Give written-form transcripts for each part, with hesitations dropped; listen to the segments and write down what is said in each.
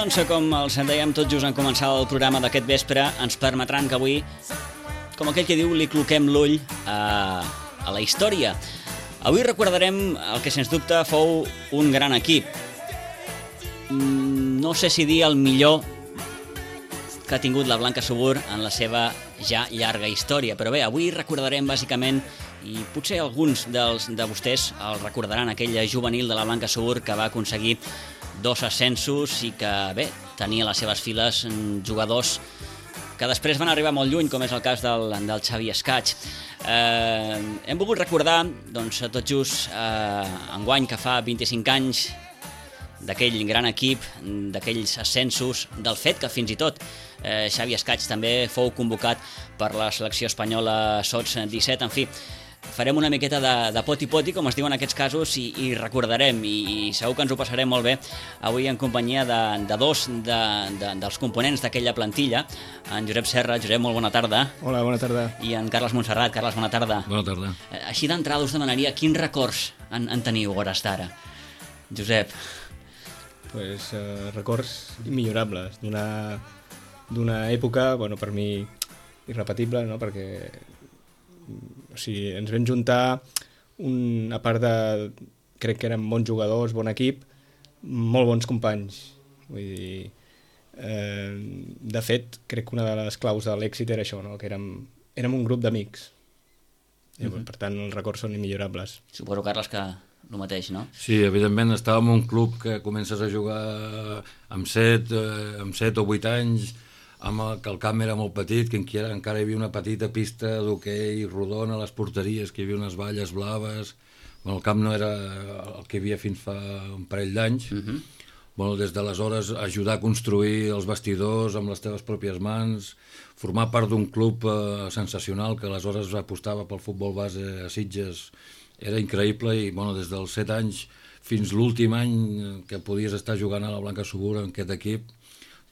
Doncs com els dèiem tot just en començar el programa d'aquest vespre, ens permetran que avui, com aquell que diu, li cloquem l'ull a la història. Avui recordarem el que sens dubte fou un gran equip. No sé si dir el millor que ha tingut la Blanca Subur en la seva ja llarga història, però bé, avui recordarem bàsicament, i potser alguns de vostès el recordaran, aquella juvenil de la Blanca Subur que va aconseguir 2 ascensos i que, bé, tenia a les seves files jugadors que després van arribar molt lluny, com és el cas del Xavi Escaig. Hem volgut recordar, doncs, tot just enguany, que fa 25 anys d'aquell gran equip, d'aquells ascensos, del fet que fins i tot Xavi Escaig també fou convocat per la selecció espanyola Sots 17. En fi, farem una miqueta de poti-poti, com es diu en aquests casos, i recordarem, i segur que ens ho passarem molt bé avui en companyia de dos dels components d'aquella plantilla, en Josep Serra. Josep, molt bona tarda. Hola, bona tarda. I en Carles Montserrat. Carles, bona tarda. Bona tarda. Així d'entrada us demanaria quins records en teniu a hores d'ara. Josep. Pues, records immillorables d'una època, bueno, per mi irrepetible, no? Perquè o sigui, ens vam juntar a part de, crec que érem bons jugadors, bon equip, molt bons companys. Vull dir, de fet, crec que una de les claus de l'èxit era això, no? Que érem un grup d'amics. Per tant, els records són immillorables. Suposo, Carles, que el mateix, no? Sí, evidentment, estàvem en un club que comences a jugar amb 7 o 8 anys, que el camp era molt petit, que encara hi havia una petita pista d'hoquei rodona a les porteries, que hi havia unes valles blaves. Bueno, el camp no era el que hi havia fins fa un parell d'anys. Bueno, des d'aleshores, ajudar a construir els vestidors amb les teves pròpies mans, formar part d'un club sensacional que aleshores apostava pel futbol base a Sitges, era increïble. I bueno, des dels 7 anys fins l'últim any que podies estar jugant a la Blanca Subur en aquest equip,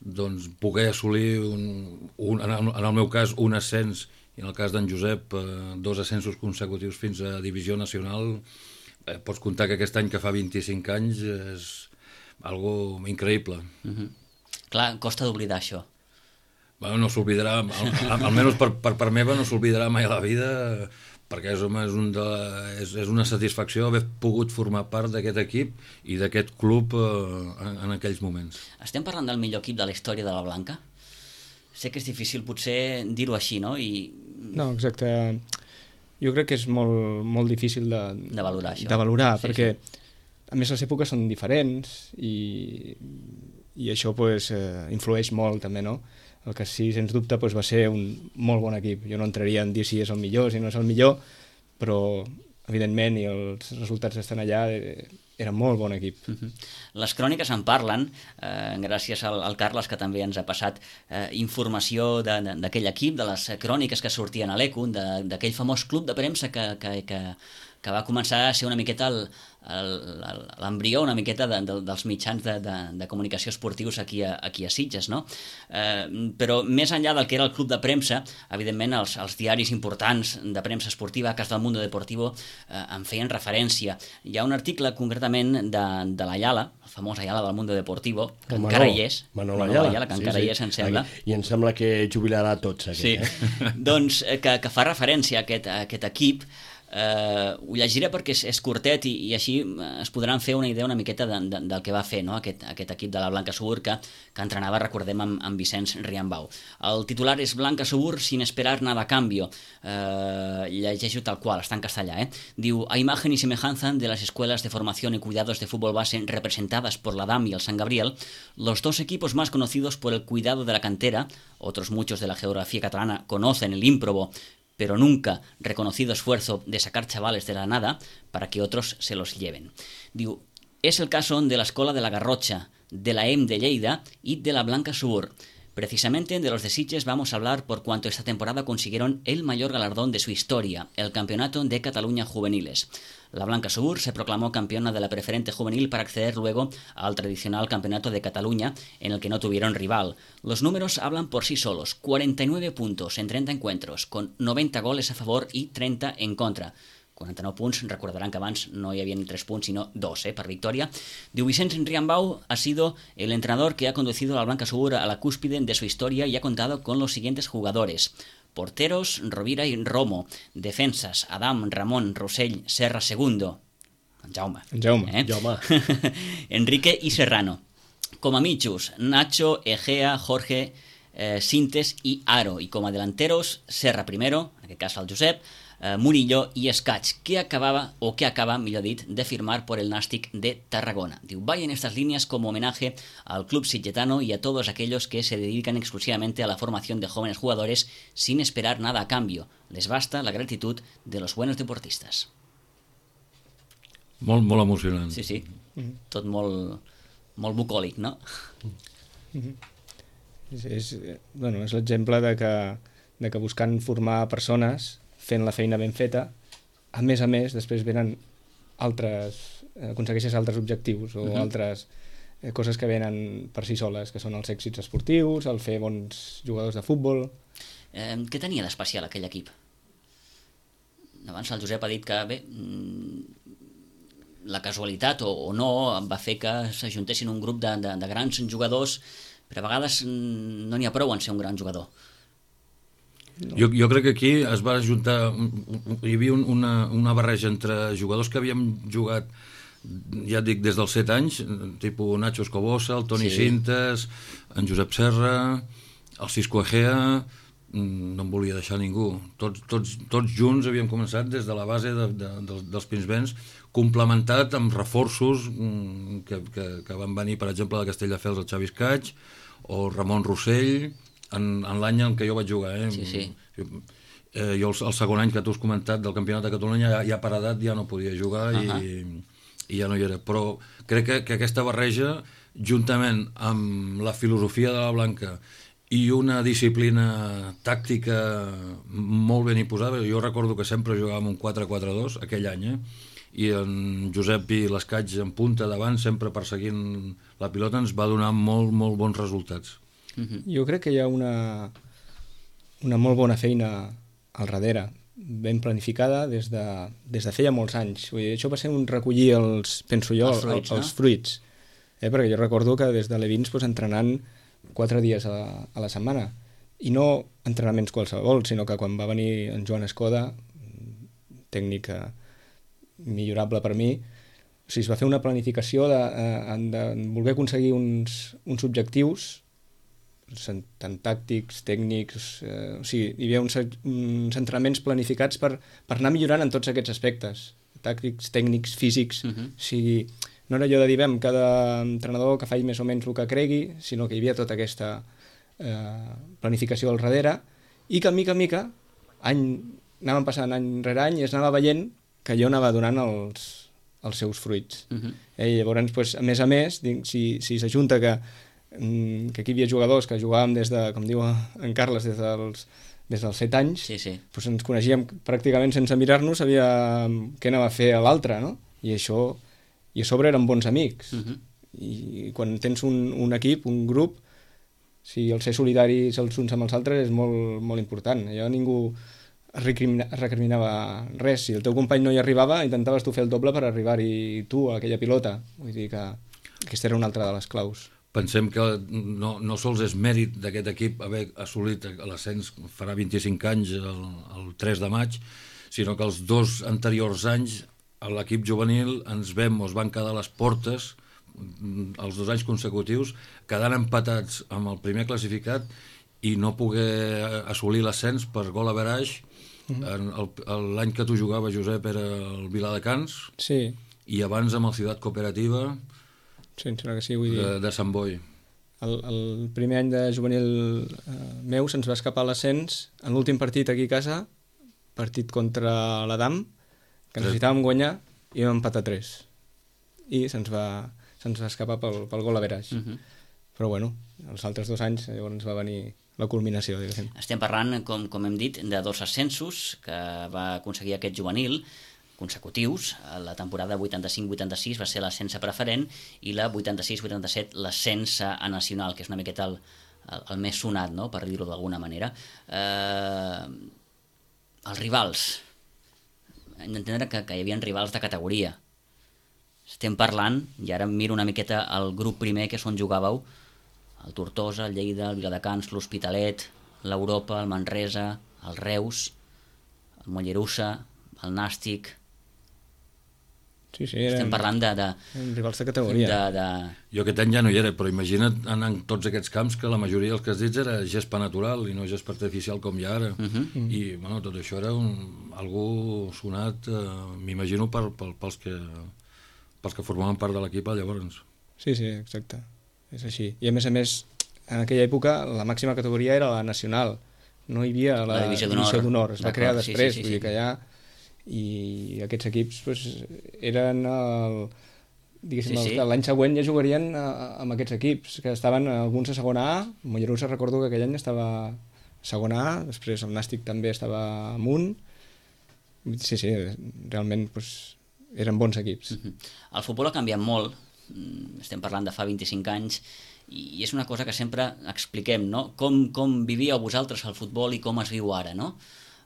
doncs poder assolir, en el meu cas, un ascens, i en el cas d'en Josep, 2 ascensos consecutius fins a Divisió Nacional. Pots comptar que aquest any, que fa 25 anys, és algo increïble. Clar, costa d'oblidar això. Bueno, no s'oblidarà, almenys per part meva, no s'oblidarà mai a la vida, perquè és una satisfacció haver pogut formar part d'aquest equip i d'aquest club en aquells moments. Estem parlant del millor equip de la història de la Blanca? Sé que és difícil potser dir-ho així, no? No, exacte. Jo crec que és molt, molt difícil de valorar això. De valorar, sí, perquè sí. A més les èpoques són diferents i això pues, influeix molt també, no? El que sí, sens dubte, doncs, va ser un molt bon equip. Jo no entraria en dir si és el millor, si no és el millor, però, evidentment, i els resultats estan allà, era molt bon equip. Les cròniques en parlen, gràcies al Carles, que també ens ha passat informació d'aquell equip, de les cròniques que sortien a l'ECO, d'aquell famós club de premsa que va començar a ser una miqueta l'embrió una miqueta dels mitjans de comunicació esportius aquí a Sitges, no? Però més enllà del que era el club de premsa, evidentment els diaris importants de premsa esportiva, cas del Mundo Deportivo, en feien referència. Hi ha un article concretament de l'Ayala, el famós Ayala del Mundo Deportivo, que encara hi és. Manolo Ayala, que encara hi és, em sembla. I em sembla que jubilarà tots, aquest. Sí, doncs que fa referència a aquest equip. Ho llegiré perquè és curtet i així es podran fer una idea una miqueta del que va fer, no? aquest equip de la Blanca Subur que entrenava, recordem, amb Vicenç Riambau. El titular és Blanca Subur sin esperar nada a cambio. Llegeixo tal qual, està en castellà. Diu: a imagen y semejanza de las escuelas de formación y cuidados de fútbol base representadas por la DAM y el San Gabriel, los 2 equipos más conocidos por el cuidado de la cantera, otros muchos de la geografía catalana conocen el ímprobo pero nunca reconocido esfuerzo de sacar chavales de la nada para que otros se los lleven. Diu, es el caso de la Escola de la Garrocha, de la EM de Lleida y de la Blanca Subur. Precisamente de los de Sitges vamos a hablar por cuanto esta temporada consiguieron el mayor galardón de su historia, el Campeonato de Cataluña Juveniles. La Blanca Subur se proclamó campeona de la preferente juvenil para acceder luego al tradicional Campeonato de Cataluña, en el que no tuvieron rival. Los números hablan por sí solos: 49 puntos en 30 encuentros, con 90 goles a favor y 30 en contra. 49 punts, recordaran que abans no hi havia ni 3 punts, sino 2 per victoria. Diu, Vicente Riambau ha sido el entrenador que ha conducido a la Blanca Subur a la cúspide de su historia y ha contado con los siguientes jugadores. Porteros, Rovira y Romo. Defensas, Adam, Ramón, Rossell, Serra II. Jaume. Jaume. Enrique y Serrano. Com a mitjos, Nacho, Egea, Jorge, Sintes i Aro. I com a delanteros, Serra primero, en aquest cas el Josep, Murillo y Escaig, que acaba, millor dit, de firmar por el Nàstic de Tarragona. Diu, vaya en estas líneas como homenaje al club sitgetano y a todos aquellos que se dedican exclusivamente a la formación de jóvenes jugadores sin esperar nada a cambio. Les basta la gratitud de los buenos deportistas. Molt, molt emocionant. Sí. Tot molt bucòlic, no? És l'exemple de que buscant formar persones, fent la feina ben feta, a més, després venen aconsegueixes altres objectius o altres coses que venen per si soles, que són els èxits esportius, el fer bons jugadors de futbol. Què tenia d'especial aquell equip? Abans el Josep ha dit que, bé, la casualitat o no va fer que s'ajuntessin un grup de grans jugadors, però a vegades no n'hi ha prou en ser un gran jugador. No. Jo crec que aquí es va ajuntar, hi havia una barreja entre jugadors que havíem jugat, ja et dic, des dels 7 anys, tipus Nacho Escobosa, el Toni Sintes, en Josep Serra, el Cisco Egea, no em volia deixar ningú. Tots junts havíem començat des de la base dels Pinsbens, complementat amb reforços que van venir, per exemple, de Castelldefels, el Xavi Escaig, o Ramon Rossell, en l'any en què jo vaig jugar. Sí. Jo el segon any que tu has comentat del Campionat de Catalunya ja per edat ja no podia jugar i ja no hi era. Però crec que aquesta barreja, juntament amb la filosofia de la Blanca i una disciplina tàctica molt ben imposada, jo recordo que sempre jugàvem un 4-4-2 aquell any, i en Josep i l'Escaig en punta davant, sempre perseguint la pilota, ens va donar molt, molt bons resultats. Jo crec que hi ha una molt bona feina al darrere, ben planificada des de feia molts anys. Vull dir, això va ser un recollir els fruits. Perquè jo recordo que des de Levins entrenant 4 dies a la setmana, i no entrenaments qualsevol, sinó que quan va venir en Joan Escoda, tècnic millorable per mi, es va fer una planificació de voler aconseguir uns objectius tant tàctics, tècnics, hi havia uns entrenaments planificats per anar millorant en tots aquests aspectes, tàctics, tècnics, físics. No era allò de dir, cada entrenador que faci més o menys el que cregui, sinó que hi havia tota aquesta planificació al darrere, i que mica en mica anàvem passant any rere any i es anava veient que allò anava donant els seus fruits. I llavors, a més, si s'ajunta que aquí hi havia jugadors que jugàvem des de, com diu en Carles, des dels 7 anys, doncs ens coneixíem pràcticament sense mirar-nos, sabíem què anava a fer l'altre, no? I això, i a sobre eren bons amics. I quan tens un equip, un grup, el ser solidaris els uns amb els altres és molt, molt important. Allò ningú recriminava res. Si el teu company no hi arribava, intentaves tu fer el doble per arribar-hi tu a aquella pilota. Vull dir que aquesta era una altra de les claus. Pensem que no sols és mèrit d'aquest equip haver assolit l'ascens farà 25 anys, el 3 de maig, sinó que els 2 anteriors anys a l'equip juvenil ens van quedar a les portes els 2 anys consecutius, quedant empatats amb el primer classificat i no poder assolir l'ascens per gol average. L'any que tu jugaves, Josep, era el Viladecans, i abans amb el Ciutat Cooperativa de Sant Boi. El primer any de juvenil meu se'ns va escapar l'ascens en l'últim partit aquí a casa, partit contra l'Adam, que necessitàvem guanyar, i vam empatar 3. I se'ns va escapar pel gol average. Però bueno, els altres 2 anys llavors va venir la culminació, diguéssim. Estem parlant, com hem dit, de 2 ascensos que va aconseguir aquest juvenil, consecutius. La temporada 85-86 va ser l'ascens a preferent i la 86-87 l'ascens a nacional, que és una miqueta el més sonat, no?, per dir-ho d'alguna manera. Els rivals, hem d'entendre que hi havia rivals de categoria. Estem parlant, i ara miro una miqueta el grup primer, que és on jugàveu, el Tortosa, el Lleida, el Viladecans, l'Hospitalet, l'Europa, el Manresa, el Reus, el Mollerussa, el Nàstic... Sí, estem parlant de rivals de categoria. Jo aquest any ja no hi era, però imagina't anar en tots aquests camps que la majoria dels que has dit era gespa natural i no gespa artificial com hi ha ara. I bueno, tot això era algú sonat, m'imagino, pels que formaven part de l'equip llavors. Sí, exacte. És així. I a més, en aquella època la màxima categoria era la nacional. No hi havia la divisió d'honor. Es va crear després, vull dir que ja... I aquests equips pues, eren l'any següent ja jugarien amb aquests equips que estaven alguns a segona A. Mollerussa recordo que aquell any estava a segona A, després el Nàstic també estava amunt. Sí, realment pues, eren bons equips. El futbol ha canviat molt, estem parlant de fa 25 anys, i és una cosa que sempre expliquem, no? Com vivíeu vosaltres el futbol i com es viu ara, no?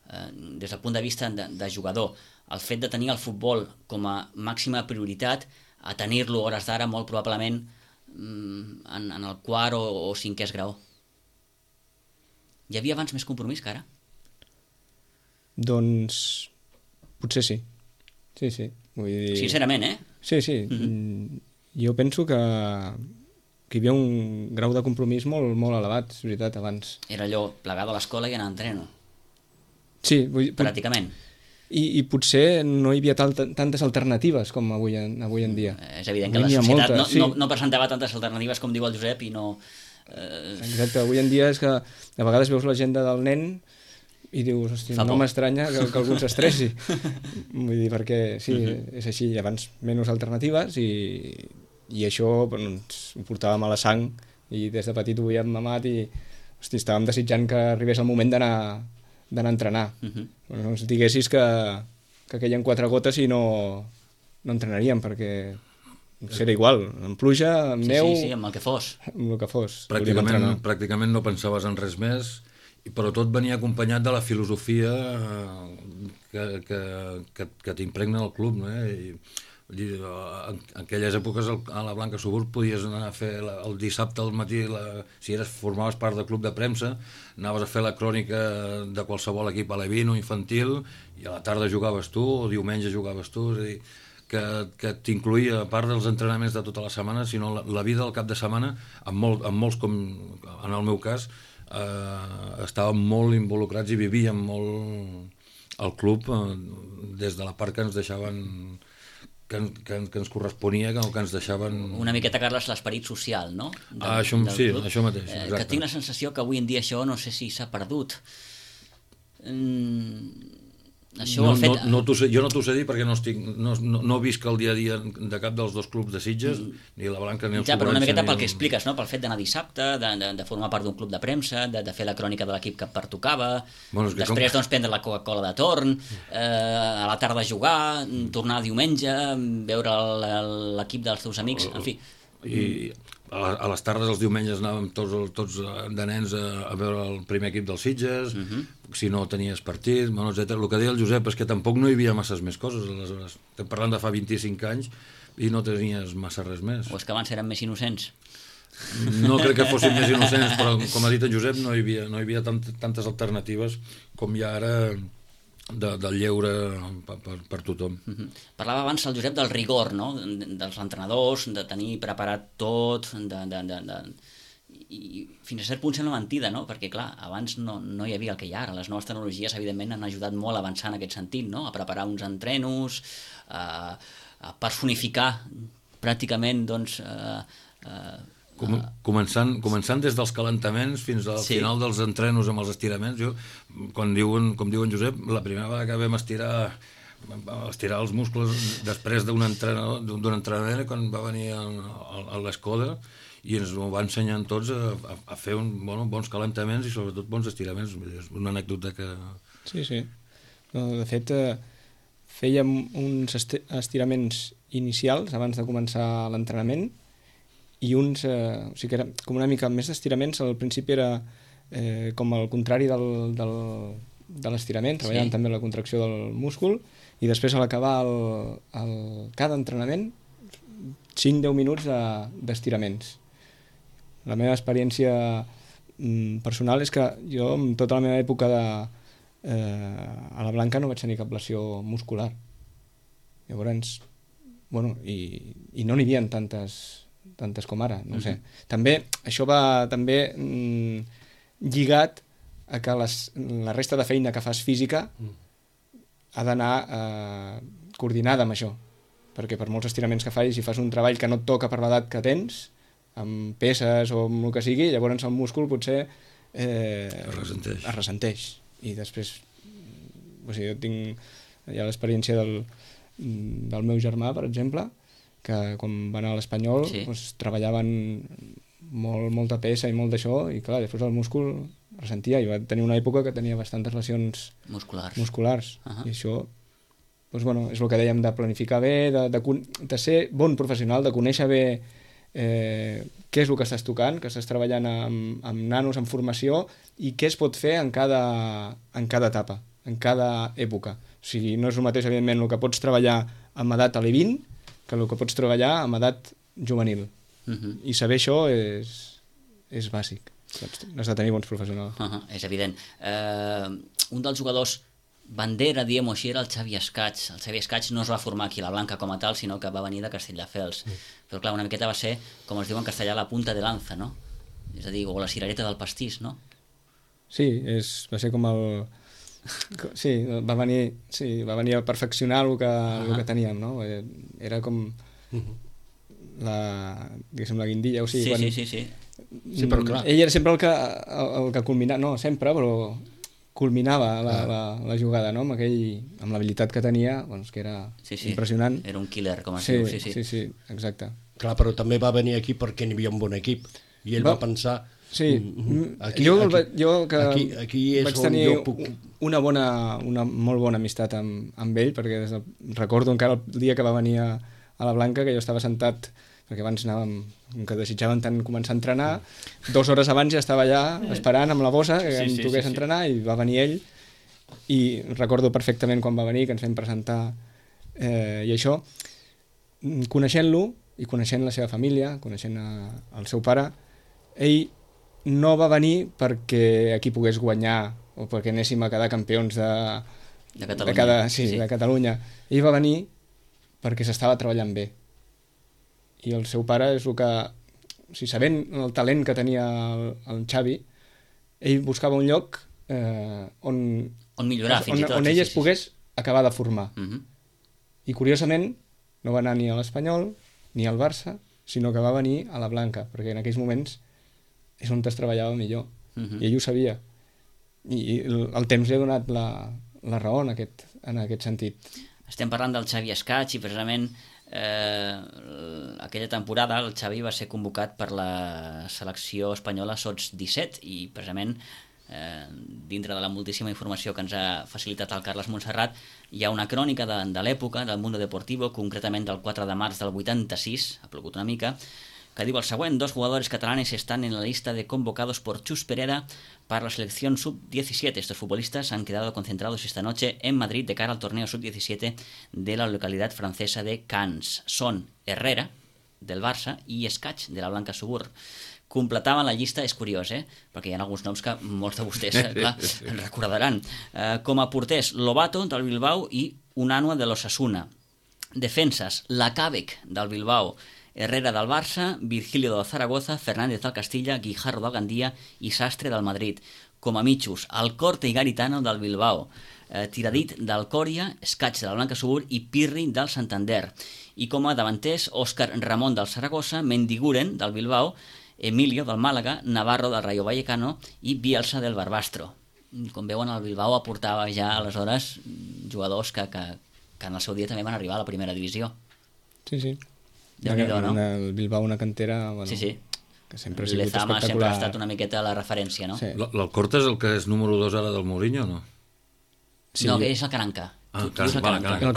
Des del punt de vista de jugador, el fet de tenir el futbol com a màxima prioritat, a tenir-lo hores d'ara molt probablement en el quart o cinquè grau. Hi havia abans més compromís que ara? Doncs potser sí. Sí. Vull dir... Sincerament, Sí. Jo penso que hi havia un grau de compromís molt, molt elevat, és veritat, abans. Era allò, plegar de l'escola i anar a entreno. Sí, pràcticament. I potser no hi havia tantes alternatives com avui en dia. És evident que la societat no presentava tantes alternatives com diu el Josep i no... Exacte, avui en dia és que a vegades veus l'agenda del nen i dius, hosti, no m'estranya que algú s'estressi. Vull dir, perquè sí, és així, abans menys alternatives i això ens ho portàvem a la sang i des de petit ho havíem mamat i hosti, estàvem desitjant que arribés el moment d'anar a entrenar. No ens diguessis que queien 4 gotes i no entrenaríem, perquè era igual, amb pluja, amb neu... Sí, amb el que fos. Amb el que fos. Pràcticament no pensaves en res més, però tot venia acompanyat de la filosofia que t'impregna el club, no? En aquelles èpoques a la Blanca Subur podies anar a fer el dissabte al matí, si formaves part del club de premsa, anaves a fer la crònica de qualsevol equip alevín o infantil i a la tarda jugaves tu o diumenge jugaves tu, és a dir, que t'incluïa a part dels entrenaments de tota la setmana, sinó la vida del cap de setmana, amb molts, com en el meu cas, estàvem molt involucrats i vivíem molt el club des de la part que ens deixaven, que ens corresponia, que ens deixaven... Una miqueta, Carles, l'esperit social, no? Això mateix, exacte. Que tinc la sensació que avui en dia això no sé si s'ha perdut. Jo no t'ho sé dir perquè no visc el dia a dia de cap dels dos clubs de Sitges, ni la Blanca ni el Sobrança. Però una miqueta pel que expliques, no? Pel fet d'anar dissabte, de formar part d'un club de premsa, de fer la crònica de l'equip que pertocava, després doncs prendre la Coca-Cola de torn, a la tarda jugar, tornar diumenge, veure l'equip dels teus amics, en fi. I a les tardes, els diumenges, anàvem tots de nens a veure el primer equip dels Sitges, si no tenies partit, etc. El que deia el Josep és que tampoc no hi havia masses més coses, aleshores. Estem parlant de fa 25 anys i no tenies massa res més. O és que abans eren més innocents? No crec que fossin més innocents, però com ha dit en Josep, no hi havia tantes alternatives com hi ha ara del lleure per tothom. Parlava abans el Josep del rigor, no? Dels entrenadors, de tenir preparat tot, i fins a cert punt sembla mentida, no? Perquè clar, abans no hi havia el que hi ha ara. Les noves tecnologies evidentment han ajudat molt a avançar en aquest sentit, no? A preparar uns entrenos, a personificar pràcticament doncs Començant des dels calentaments fins al final dels entrenos amb els estiraments. Com diuen Josep, la primera vegada que vam estirar els muscles després d'un entrenament, quan va venir a l'Escoda, i ens ho va ensenyar tots a fer bons calentaments i sobretot bons estiraments. És una anècdota que... Sí. De fet, fèiem uns estiraments inicials abans de començar l'entrenament, i uns, o sigui que era com una mica més d'estiraments. Al principi era com el contrari de l'estirament, treballaven també la contracció del múscul, i després a l'acabar cada entrenament 5-10 minuts d'estiraments. La meva experiència personal és que jo, en tota la meva època a la Blanca, no vaig tenir cap lesió muscular. Llavors, bueno, i no n'hi havia tantes com ara, no sé. També, això va també lligat a que la resta de feina que fas física ha d'anar coordinada amb això, perquè per molts estiraments que facis, si fas un treball que no et toca per l'edat que tens, amb peses o amb el que sigui, llavors el múscul potser es ressenteix. I després, o sigui, jo tinc ja l'experiència del meu germà, per exemple, que quan va anar a l'Espanyol doncs, treballaven molta pesa i molt d'això, i clar, després el múscul ressentia, i va tenir una època que tenia bastantes lesions musculars. I això doncs, bueno, és el que dèiem, de planificar bé, de ser bon professional, de conèixer bé què és el que estàs tocant, que estàs treballant amb nanos en formació, i què es pot fer en cada etapa, en cada època. O sigui, no és el mateix, evidentment, el que pots treballar amb edat a l'E20 que el que pots treballar amb edat juvenil. I saber això és bàsic. Has de tenir bons professionals. És evident. Un dels jugadors bandera, diguem-ho així, era el Xavi Escaig. El Xavi Escaig no es va formar aquí a la Blanca com a tal, sinó que va venir de Castelldefels. Però clar, una miqueta va ser, com es diu en castellà, la punta de lanza, no? És a dir, o la cirereta del pastís, no? Sí, va ser com el... Sí, va venir a perfeccionar el que teníem, no? Era com diguéssim, la guindilla, o sigui... Sí, però clar. Ell era sempre el que culminava, no sempre, però culminava la jugada, no? Amb l'habilitat que tenia, doncs, que era impressionant. Era un killer, com es diu. Sí, exacte. Clar, però també va venir aquí perquè n'hi havia un bon equip, i ell va pensar... Sí, jo que vaig tenir una molt bona amistat amb ell, perquè recordo encara el dia que va venir a la Blanca, que jo estava sentat, perquè abans anàvem, que desitjaven tant començar a entrenar, 2 hores abans ja estava allà esperant amb la bossa que em toqués entrenar, i va venir ell, i recordo perfectament quan va venir, que ens vam presentar, i això, coneixent-lo i coneixent la seva família, coneixent el seu pare, ell no va venir perquè aquí pogués guanyar o perquè anéssim a quedar campions de Catalunya. Ell va venir perquè s'estava treballant bé. I el seu pare és el que... O sigui, sabent el talent que tenia el Xavi, ell buscava un lloc on millorar, fins i tot. On ell es pogués acabar de formar. I curiosament no va anar ni a l'Espanyol ni al Barça, sinó que va venir a la Blanca, perquè en aquells moments és on es treballava millor, i ell ho sabia, i el temps li ha donat la raó en aquest sentit. Estem parlant del Xavi Escaig, i precisament aquella temporada el Xavi va ser convocat per la selecció espanyola sots 17, i precisament dintre de la moltíssima informació que ens ha facilitat el Carles Montserrat, hi ha una crònica de l'època del Mundo Deportivo, concretament del 4 de març del 86, ha plogut una mica, que diu el següent: 2 jugadores catalanes están en la lista de convocados por Chus Pereda para la selección sub-17. Estos futbolistas han quedado concentrados esta noche en Madrid de cara al torneo sub-17 de la localidad francesa de Cannes. Son Herrera, del Barça, i Escaig, de la Blanca Subur. Completaven la llista, és curiós, perquè hi ha alguns noms que molts de vostès recordaran. Com a porters, Lobato, del Bilbao, i Unanua, de l'Osasuna. Defenses, Lacàbec, del Bilbao, Herrera, del Barça, Virgilio, del Zaragoza, Fernández, del Castilla, Guijarro, del Gandia i Sastre, del Madrid. Com a mitjos, Alcorte i Garitano, del Bilbao, Tiradit, del Còria, Escaig, de la Blanca Subur, i Pirri, del Santander. I com a davanters, Òscar Ramon, del Zaragoza, Mendiguren, del Bilbao, Emilio, del Màlaga, Navarro, del Rayo Vallecano, i Bielsa, del Barbastro. Com veuen, el Bilbao aportava ja aleshores jugadors que en el seu dia també van arribar a la primera divisió. Sí. Déu-n'hi-do, no? El Bilbao, una cantera... Bueno, sí. Que sempre ha sigut Lezama espectacular. sempre ha estat una miqueta la referència, no? Sí. L'Alcorta és el que és número 2 ara del Mourinho, no? Sí. No, que és el Caranca. El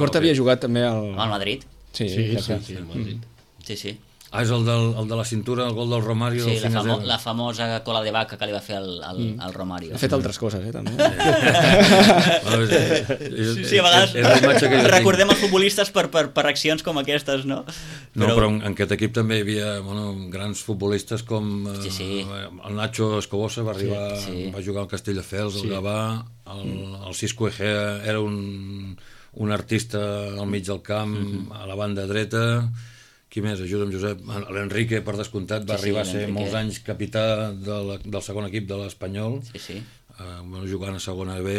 Corta havia jugat també al Madrid. Sí, al Madrid. Sí. Ah, és el de la cintura, el gol del Romario. Sí, del 5-0. la famosa cola de vaca que li va fer al Romario. Ha fet altres coses, també. Sí, a vegades és la imatge que jo tinc. recordem els futbolistes per accions com aquestes, no? No, però en aquest equip també hi havia grans futbolistes com Sí. el Nacho Escobosa va arribar, va jugar al Castelldefels, el Gavà, el Cisco Egea era un artista al mig del camp, a la banda dreta. Qui més? Ajuda'm, Josep. L'Enrique, per descomptat, va arribar a ser molts anys capità del segon equip de l'Espanyol, jugant a segona B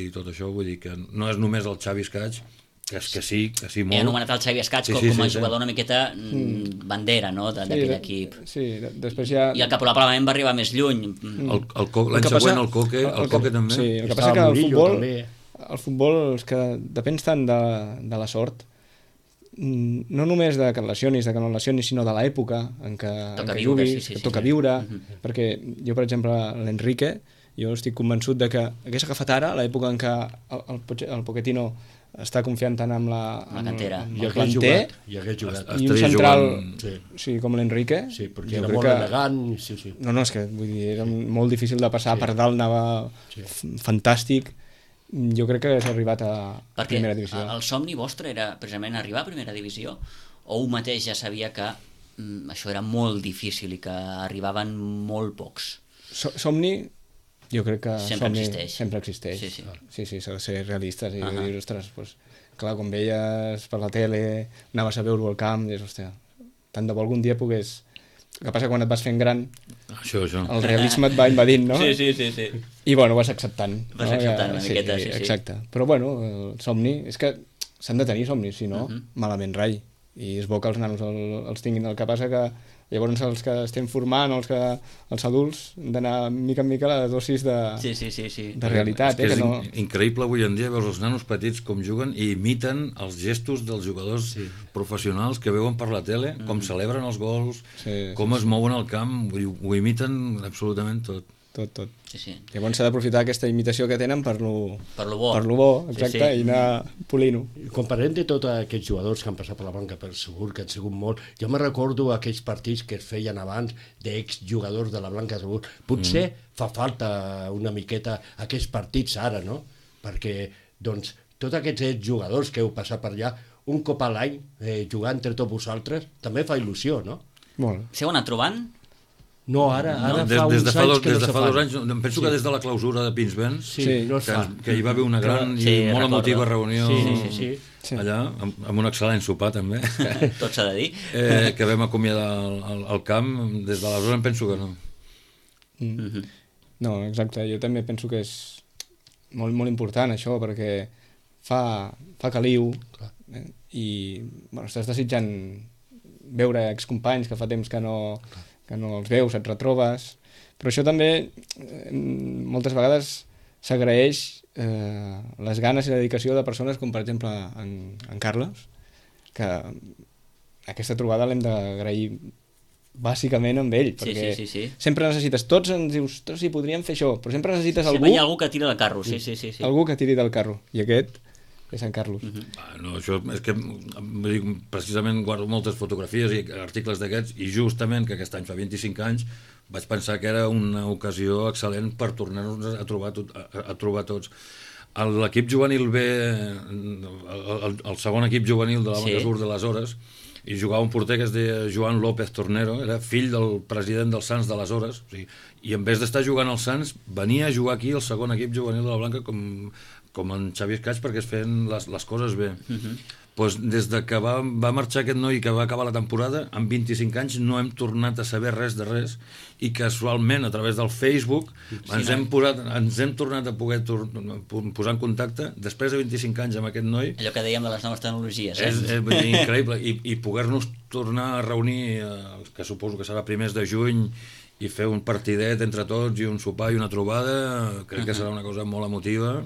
i tot això. Vull dir que no és només el Xavi Escaig, que sí, molt. He anomenat el Xavi Escaig com a jugador una miqueta bandera, no?, d'aquell equip. Sí, després ja... I el que probablement va arribar més lluny. L'any següent el Coque també. Sí, el que passa que el futbol és que depèn tant de la sort, no només de que et lesionis, sinó de l'època en què juguis, que toca viure, perquè jo, per exemple, l'Enrique, jo estic convençut de que hagués agafat ara l'època en què el Pochettino està confiant tant amb la cantera, amb el planter, i hagués jugat. i un central com l'Enrique, sí, perquè era molt elegant. No, és que vull dir, era molt difícil de passar, per dalt anava fantàstic. Jo crec que s'ha arribat a primera divisió. Perquè el somni vostre era precisament arribar a primera divisió, o un mateix ja sabia que això era molt difícil i que arribaven molt pocs? Somni, jo crec que sempre existeix. Sí, s'ha de ser realistes i dir, ostres, clar, quan veies per la tele, anaves a veure-ho al camp, dius, hòstia, tant de bo algun dia pogués... El que passa quan et vas fent gran, això. El realisme et va invadint, no? Sí. I bueno, vas acceptant. Vas acceptant una miqueta, sí. Exacte. Però bueno, el somni, és que s'han de tenir somnis, si no, malament rai. I és bo que els nanos els tinguin. El que passa que llavors els que estem formant, els adults, han d'anar mica en mica a la dosis de realitat. És increïble avui en dia veure els nanos petits com juguen i imiten els gestos dels jugadors professionals que veuen per la tele, com celebren els gols, com es mouen al camp, ho imiten absolutament tot. Tot. Llavors s'ha d'aprofitar aquesta imitació que tenen per lo bo, exacte, i anar polint-ho. Quan parlem de tots aquests jugadors que han passat per la banca, per segur que han sigut molt, jo me recordo aquells partits que es feien abans d'exjugadors de la Blanca Segur. Potser fa falta una miqueta aquests partits ara, no? Perquè, doncs, tots aquests exjugadors que heu passat per allà, un cop a l'any, jugar entre tots vosaltres, també fa il·lusió, no? Molt. S'heu anat trobant? No, ara fa uns anys que no se fa. Des de fa 2 anys, penso que des de la clausura de Pinsbens, que hi va haver una gran i molt emotiva reunió allà, amb un excel·lent sopar també, tot s'ha de dir, que vam acomiadar el camp. Des d'aleshores em penso que no. No, exacte, jo també penso que és molt, molt important això, perquè fa caliu i estàs desitjant veure excompanys que fa temps que no els veus, et retrobes, però això també moltes vegades s'agraeix les ganes i la dedicació de persones com per exemple en Carles, que aquesta trobada l'hem d'agrair bàsicament amb ell, perquè sempre necessites, tots ens dius, sí, podríem fer això, però sempre necessites algú... Sempre hi ha algú que tira del carro, sí. Algú que tiri del carro, i aquest és en Carlos. No, això és que precisament guardo moltes fotografies i articles d'aquests, i justament que aquest any fa 25 anys vaig pensar que era una ocasió excel·lent per tornar-nos a trobar tots. L'equip juvenil B, el segon equip juvenil de la Blanca Sur d'aleshores, i jugava un porter que es deia Joan López Tornero, era fill del president dels Sants d'aleshores, i en vez d'estar jugant als Sants venia a jugar aquí el segon equip juvenil de la Blanca com en Xavi Escaig, perquè es feien les coses bé. Pues des de que va marxar aquest noi, que va acabar la temporada, amb 25 anys no hem tornat a saber res de res, i casualment a través del Facebook ens hem tornat a poder posar en contacte després de 25 anys amb aquest noi. Allò que dèiem de les noves tecnologies, és increïble, i poder-nos tornar a reunir, que suposo que serà primers de juny, i fer un partidet entre tots i un sopar i una trobada, crec que serà una cosa molt emotiva.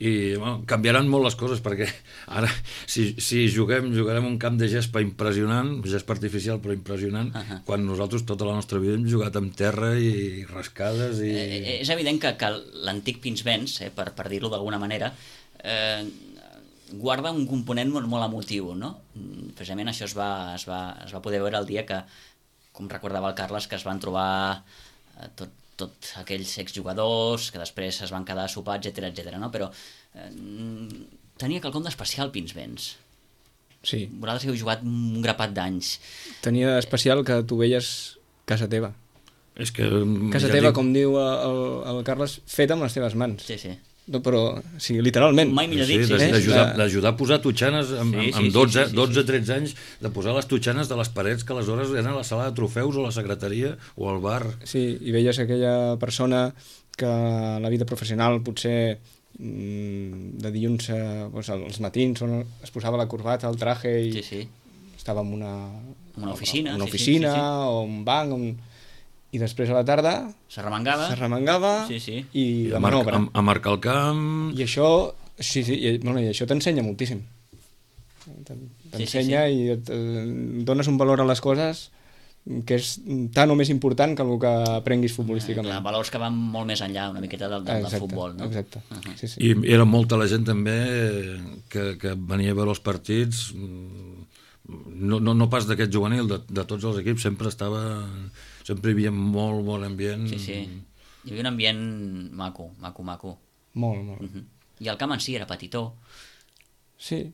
I canviaran molt les coses, perquè ara si jugarem un camp de gespa impressionant, gespa artificial però impressionant, quan nosaltres tota la nostra vida hem jugat amb terra i rascades és evident que l'antic Pinsbens, per dir-ho d'alguna manera, guarda un component molt, molt emotiu, no? Precisament això es va poder veure el dia que, com recordava el Carles, que es van trobar tot aquells exjugadors que després es van quedar a sopar, etc, no? Però tenia quelcom d'especial Pinsbens. Sí. Vosaltres heu jugat un grapat d'anys. Tenia d'especial que tu veies casa teva. És que... Casa teva, com diu el Carles, feta amb les teves mans. Sí, sí. No, però, sí, literalment. Mai millor dit, sí. D'ajudar a posar totxanes amb 12-13 anys, de posar les totxanes de les parets que aleshores eren a la sala de trofeus o a la secretaria o al bar. Sí, i veies aquella persona que a la vida professional potser de dilluns als matins es posava la corbata, el traje i estava en una oficina, o un banc i després a la tarda s'arremangava i la manobra. A marcar el camp... I això, i això t'ensenya moltíssim. T'ensenya i et dones un valor a les coses que és tan o més important que el que aprenguis futbolísticament. Valors que van molt més enllà una miqueta del futbol, no? Exacte. I era molta la gent també que venia a veure els partits, no pas d'aquest juvenil, de tots els equips, sempre hi havia molt bon ambient. Sí. Hi havia un ambient maco. Molt. I el camp en si era petitó. Sí,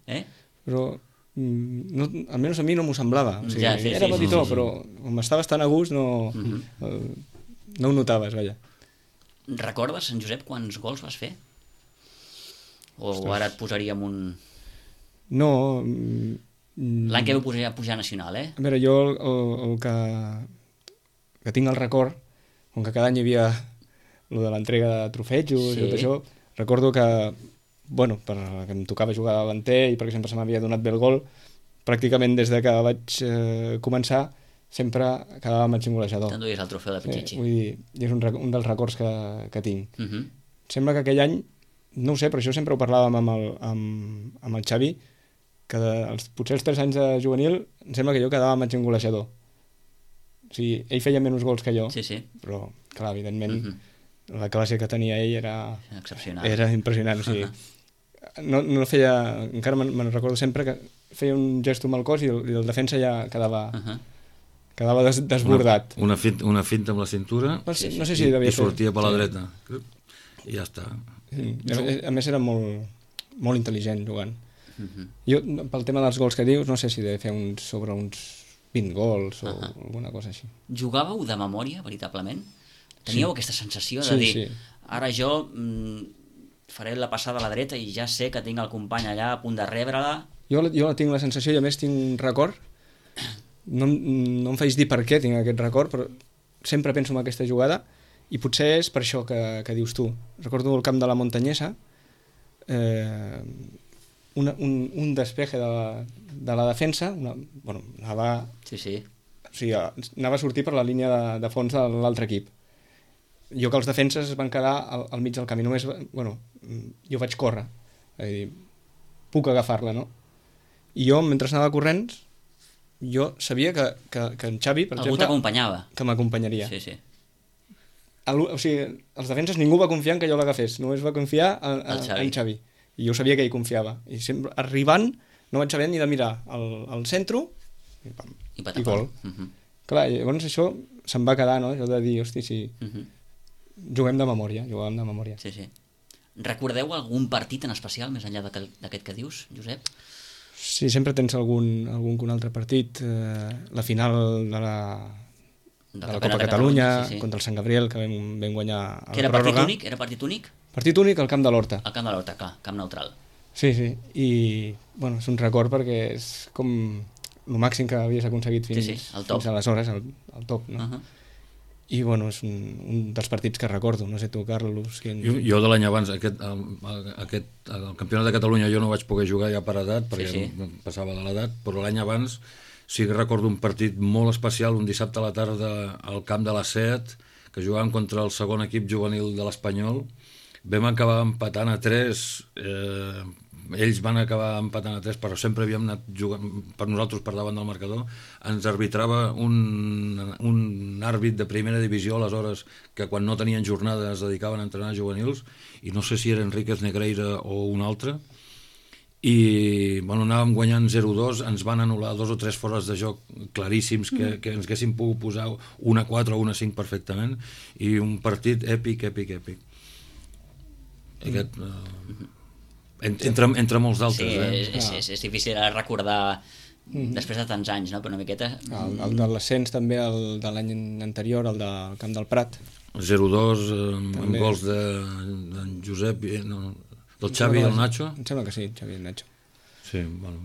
però almenys a mi no m'ho semblava. Era petitó, però com estaves tan a gust no ho notaves, vaja. Recordes, en Josep, quants gols vas fer? O ara et posaríem un... No... L'any que vau pujar a Nacional, A veure, jo el que tinc el record, com que cada any hi havia lo de l'entrega de trofejos i tot això, recordo que, perquè em tocava jugar de davanter i perquè sempre se m'havia donat bé el gol, pràcticament des de que vaig començar sempre quedava màxim golejador. T'enduies el trofeu de Pichichi. Vull dir, és un dels records que tinc. Sembla que aquell any, no ho sé, però això sempre ho parlàvem amb el Xavi, que potser els 3 anys de juvenil em sembla que jo quedava màxim golejador. O sigui, ell feia menys gols que jo, però, clar, evidentment, la classe que tenia ell era excepcional. Era impressionant. O sigui, no feia... Encara me'n recordo sempre que feia un gesto amb el cos i el defensa ja quedava desbordat. Una finta amb la cintura i sortia per la dreta. I ja està. A més era molt intel·ligent jugant. Jo, pel tema dels gols que dius, no sé si he de fer sobre uns 20 gols o alguna cosa així. Jugàveu de memòria, veritablement? Teníeu aquesta sensació de dir ara jo faré la passada a la dreta i ja sé que tinc el company allà a punt de rebre-la? Jo tinc la sensació i a més tinc un record, no em faig dir per què tinc aquest record, però sempre penso en aquesta jugada i potser és per això que dius tu. Recordo el camp de la Montanyesa, un despeje de la defensa, anava a sortir per la línia de fons de l'altre equip. Jo que els defenses es van quedar al mig del camí, només, jo vaig córrer, puc agafar-la, no? I jo, mentre anava corrents, jo sabia que en Xavi, per exemple... Algú t'acompanyava. Que m'acompanyaria. Sí. O sigui, els defenses ningú va confiar en que jo l'agafés, només va confiar en Xavi. I jo sabia que ell confiava. I sempre, arribant, no vaig saber ni de mirar al centre i gol. Clar, llavors això se'm va quedar, no? Això de dir, hosti, sí, jugàvem de memòria. Sí. Recordeu algun partit en especial, més enllà d'aquest que dius, Josep? Sí, sempre tens algun altre partit. La final de la Copa Catalunya contra el Sant Gabriel, que vam guanyar a la pròrroga. Era partit únic? Partit únic al Camp de l'Horta. Al Camp de l'Horta, clar, camp neutral. Sí, i és un record perquè és com el màxim que havies aconseguit fins aleshores, el top, no? I és un dels partits que recordo, no sé tu, Carlos... Jo de l'any abans, el campionat de Catalunya jo no vaig poder jugar ja per edat, perquè passava de l'edat, però l'any abans sí que recordo un partit molt especial, un dissabte a la tarda al camp de la Set, que jugàvem contra el segon equip juvenil de l'Espanyol. Vam acabar empatant a 3, ells van acabar empatant a 3, però sempre havíem anat jugant per nosaltres per davant del marcador. Ens arbitrava un àrbit de primera divisió aleshores, que quan no tenien jornada es dedicaven a entrenar juvenils, i no sé si era Enríquez Negreira o un altre, i bueno, anàvem guanyant 0-2, ens van anul·lar 2 o 3 fores de joc claríssims que ens haguessin pogut posar 1-4 o 1-5 perfectament, i un partit èpic. Aquest, entre molts d'altres. Sí, és difícil recordar després de tants anys, no? Però una miqueta... El de l'ascens també, el de l'any anterior, el del Camp del Prat. 0-2 amb gols d'en Josep, del Xavi i el Nacho. Em sembla que sí, Xavi i el Nacho. Sí, bueno.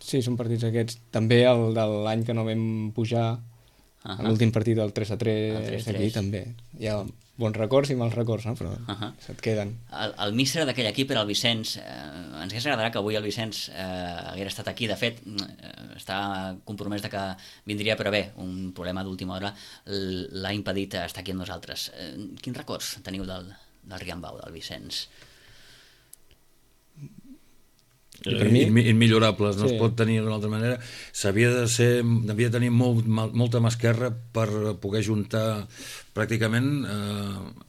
Sí, són partits aquests. També el de l'any que no vam pujar, l'últim partit del 3-3 aquí també. Hi ha bons records i mals records, no? Però se't queden. El míster d'aquell equip era el Vicenç. Ens hauria agradat que avui el Vicenç hagués estat aquí. De fet, està compromès de que vindria, però bé, un problema d'última hora l'ha impedit estar aquí amb nosaltres. Quins records teniu del Riambau, del Vicenç? Immillorables, no es pot tenir d'una altra manera. Devia tenir molta mà esquerra per poder juntar pràcticament,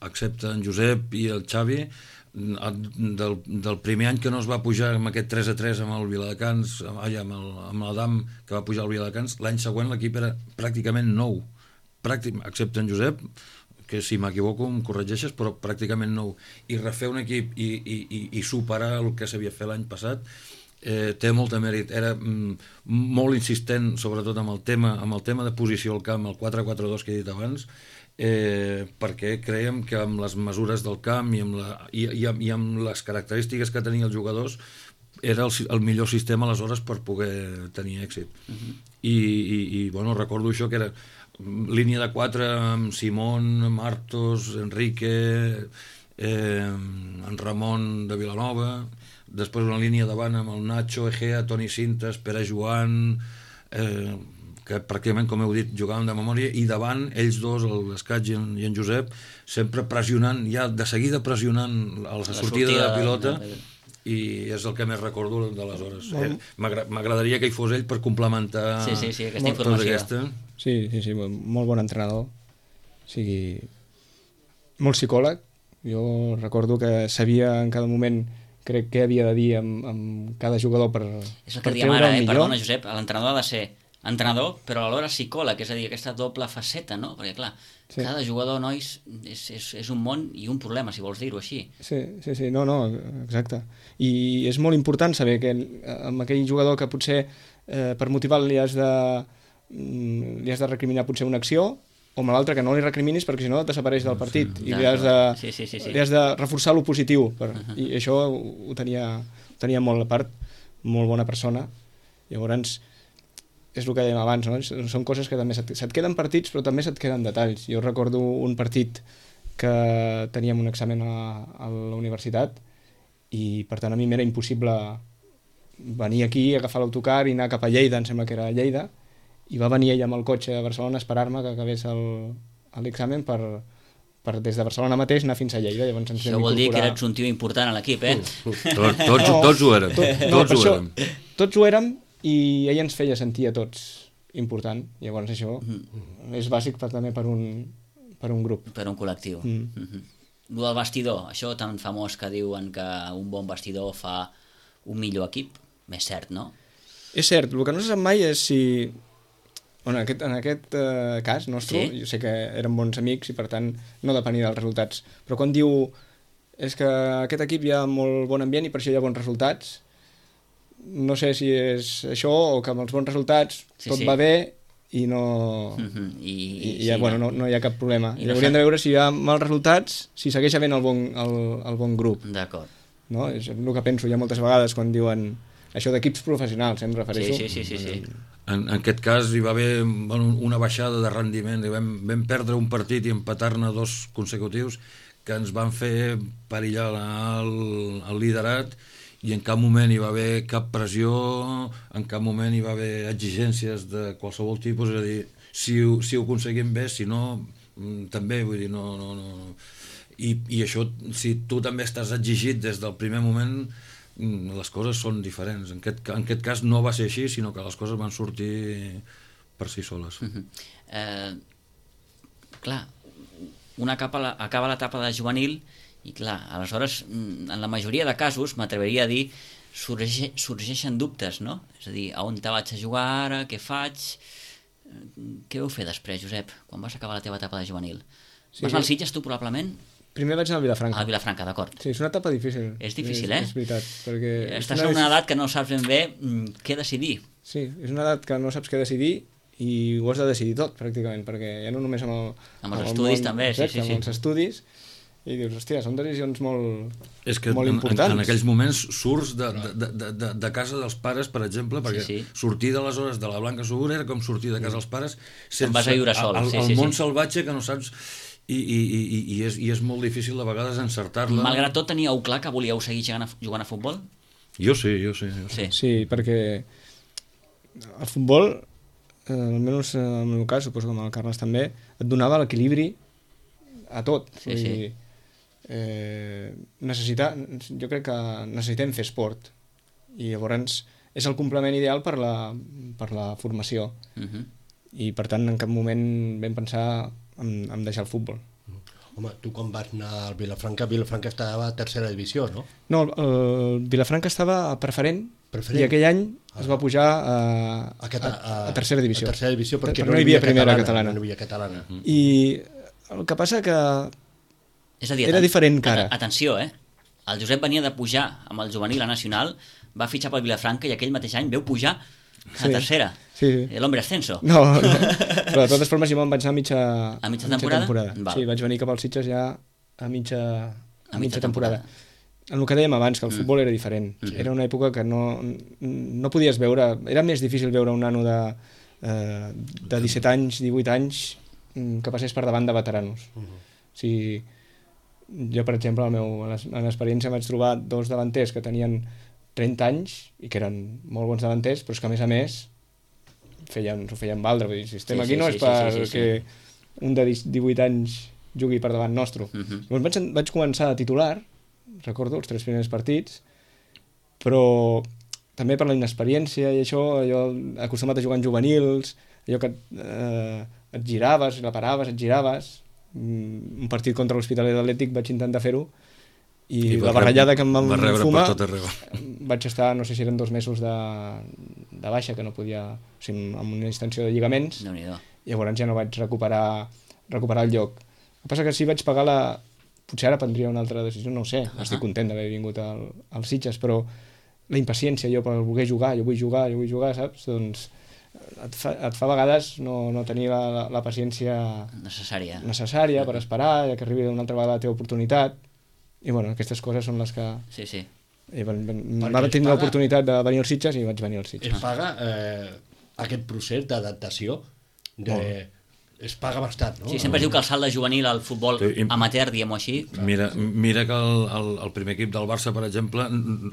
excepte en Josep i el Xavi, del primer any que no es va pujar amb aquest 3-3 amb el Viladecans, amb l'Adam, que va pujar al Viladecans, l'any següent l'equip era pràcticament nou, excepte en Josep, que si m'equivoco em corregeixes, però pràcticament nou, i refer un equip i superar el que s'havia fet l'any passat, té molt de mèrit. Era molt insistent, sobretot amb el tema de posició al camp, el 4-4-2 que he dit abans, perquè creiem que amb les mesures del camp i amb les característiques que tenien els jugadors era el millor sistema aleshores per poder tenir èxit. I bueno, recordo això, que era línia de 4 amb Simón, Martos, Enrique, en Ramon de Vilanova, després una línia davant amb el Nacho, Egea, Toni Cintas, Pere Joan, que pràcticament, com heu dit, jugàvem de memòria, i davant ells dos, l'Escaig i en Josep, sempre pressionant, ja de seguida pressionant a la sortida de la pilota, i és el que més recordo d'aleshores. M'agradaria que hi fos ell per complementar aquesta informació. Sí, molt bon entrenador, o sigui, molt psicòleg. Jo recordo que sabia en cada moment, crec, què havia de dir amb cada jugador per és el que diem ara, perdona Josep, l'entrenador ha de ser entrenador, però alhora psicòleg, és a dir, aquesta doble faceta, no? Perquè clar, cada jugador, nois, és un món i un problema, si vols dir-ho així. Sí, no, exacte. I és molt important saber que amb aquell jugador que potser per motivar-lo li has de recriminar potser una acció, o amb l'altre que no li recriminis perquè si no desapareix del partit, i li has de reforçar lo positiu, i això ho tenia molt a part, molt bona persona. Llavors és el que dèiem abans, no? Són coses que també se't queden partits, però també se't queden detalls. Jo recordo un partit que teníem un examen a la universitat i per tant a mi m'era impossible venir aquí, agafar l'autocar i anar cap a Lleida, em sembla que era a Lleida, i va venir ella amb el cotxe a Barcelona a esperar-me que acabés l'examen per des de Barcelona mateix anar fins a Lleida. Llavors ens això vol dir que eres un tio important a l'equip, eh? Tots ho érem. Tots ho érem, i ella ens feia sentir a tots important. Llavors això és bàsic també per un grup. Per un col·lectiu. El del vestidor, això tan famós que diuen que un bon vestidor fa un millor equip, és cert, no? És cert, el que no se sap mai és si... Bueno, en aquest cas nostre, jo sé que érem bons amics i per tant no depenia dels resultats, però quan diu és que aquest equip hi ha molt bon ambient i per això hi ha bons resultats, no sé si és això o que amb els bons resultats tot va bé i no no hi ha cap problema. I hauríem de veure si hi ha mals resultats, si segueix havent el bon grup. D'acord. No? És el que penso ja moltes vegades quan diuen això d'equips professionals, em refereixo. Sí. En aquest cas hi va haver una baixada de rendiment, vam perdre un partit i empatar-ne 2 consecutius que ens van fer perillar el liderat, i en cap moment hi va haver cap pressió, en cap moment hi va haver exigències de qualsevol tipus, és a dir, si ho aconseguim bé, si no, també, vull dir, no. I això, si tu també estàs exigit des del primer moment, les coses són diferents. En aquest cas no va ser així, sinó que les coses van sortir per si soles. Clar, una acaba l'etapa de juvenil i clar, aleshores, en la majoria de casos, m'atreviria a dir, sorgeixen dubtes, no? És a dir, a on te vaig a jugar ara, què faig? Què vau fer després, Josep, quan vas acabar la teva etapa de juvenil? Sí. Vas anar al Sitges, tu, probablement? Primer vaig anar al Vilafranca. A Vilafranca, d'acord. Sí, és una etapa difícil. És difícil, eh? És veritat, perquè... Estàs en una edat que no saps ben bé què decidir. Sí, és una edat que no saps què decidir i ho has de decidir tot, pràcticament, perquè ja no només amb els estudis també, sí. Amb els estudis, i dius, hòstia, són decisions molt, és que molt importants. En aquells moments surts de casa dels pares, per exemple, perquè sortir de les hores de la Blanca Segura era com sortir de casa dels pares sense vas a viure sol. El món salvatge que no saps... I és molt difícil de vegades encertar-la. Malgrat tot, teníeu clar que volíeu seguir jugant a futbol? Jo sí. Sí, perquè el futbol, almenys en el meu cas, suposo que amb el Carles també, et donava l'equilibri a tot. Sí. Jo crec que necessitem fer esport i llavors és el complement ideal per la formació. I per tant en cap moment vam pensar en deixar el futbol. Home, tu quan vas anar al Vilafranca estava a tercera divisió, no? No, el Vilafranca estava a preferent. I aquell any es va pujar a tercera divisió. A tercera divisió perquè no hi havia primera catalana. No hi havia catalana. I el que passa que és a dir, era diferent que ara. Atenció, el Josep venia de pujar amb el juvenil a nacional, va fitxar pel Vilafranca i aquell mateix any veu pujar a tercera. Sí. L'hombre ascenso. No. Però de totes formes jo me'n vaig anar a mitja temporada. Sí, vaig venir cap als Sitges ja a mitja temporada. En el que dèiem abans, que el futbol era diferent. Era una època que no podies veure... Era més difícil veure un nano de 17 anys, 18 anys, que passés per davant de veteranos. O sigui, jo, per exemple, en l'experiència vaig trobar dos davanters que tenien 30 anys i que eren molt bons davanters, però és que, a més, s'ho feien valdre. Vull dir, si estem aquí no és perquè un de 18 anys jugui per davant nostre. Llavors vaig començar a titular, recordo, els 3 primers partits, però també per la inexperiència i això, jo acostumat a jugar en juvenils, allò que et giraves, la paraves, et giraves. Un partit contra l'Hospitalet Atlètic vaig intentar fer-ho i la barrellada que em van fumar vaig estar, no sé si eren 2 mesos de baixa, que no podia, o sigui, amb una extensió de lligaments, i llavors ja no vaig recuperar el lloc. El que passa que sí vaig pagar potser ara prendria una altra decisió, no ho sé, estic content d'haver vingut als Sitges, però la impaciència jo per voler jugar, jo vull jugar, saps? Doncs et fa a vegades no tenir la paciència necessària per esperar que arribi una altra vegada la teva oportunitat. I bueno, aquestes coses són les que... Sí. Va tenir l'oportunitat de venir als Sitges i vaig venir als Sitges. Es paga aquest procés d'adaptació? Es paga bastant, no? Sí, sempre es diu que el salt de juvenil al futbol amateur, diguem-ho així... Mira que el primer equip del Barça, per exemple,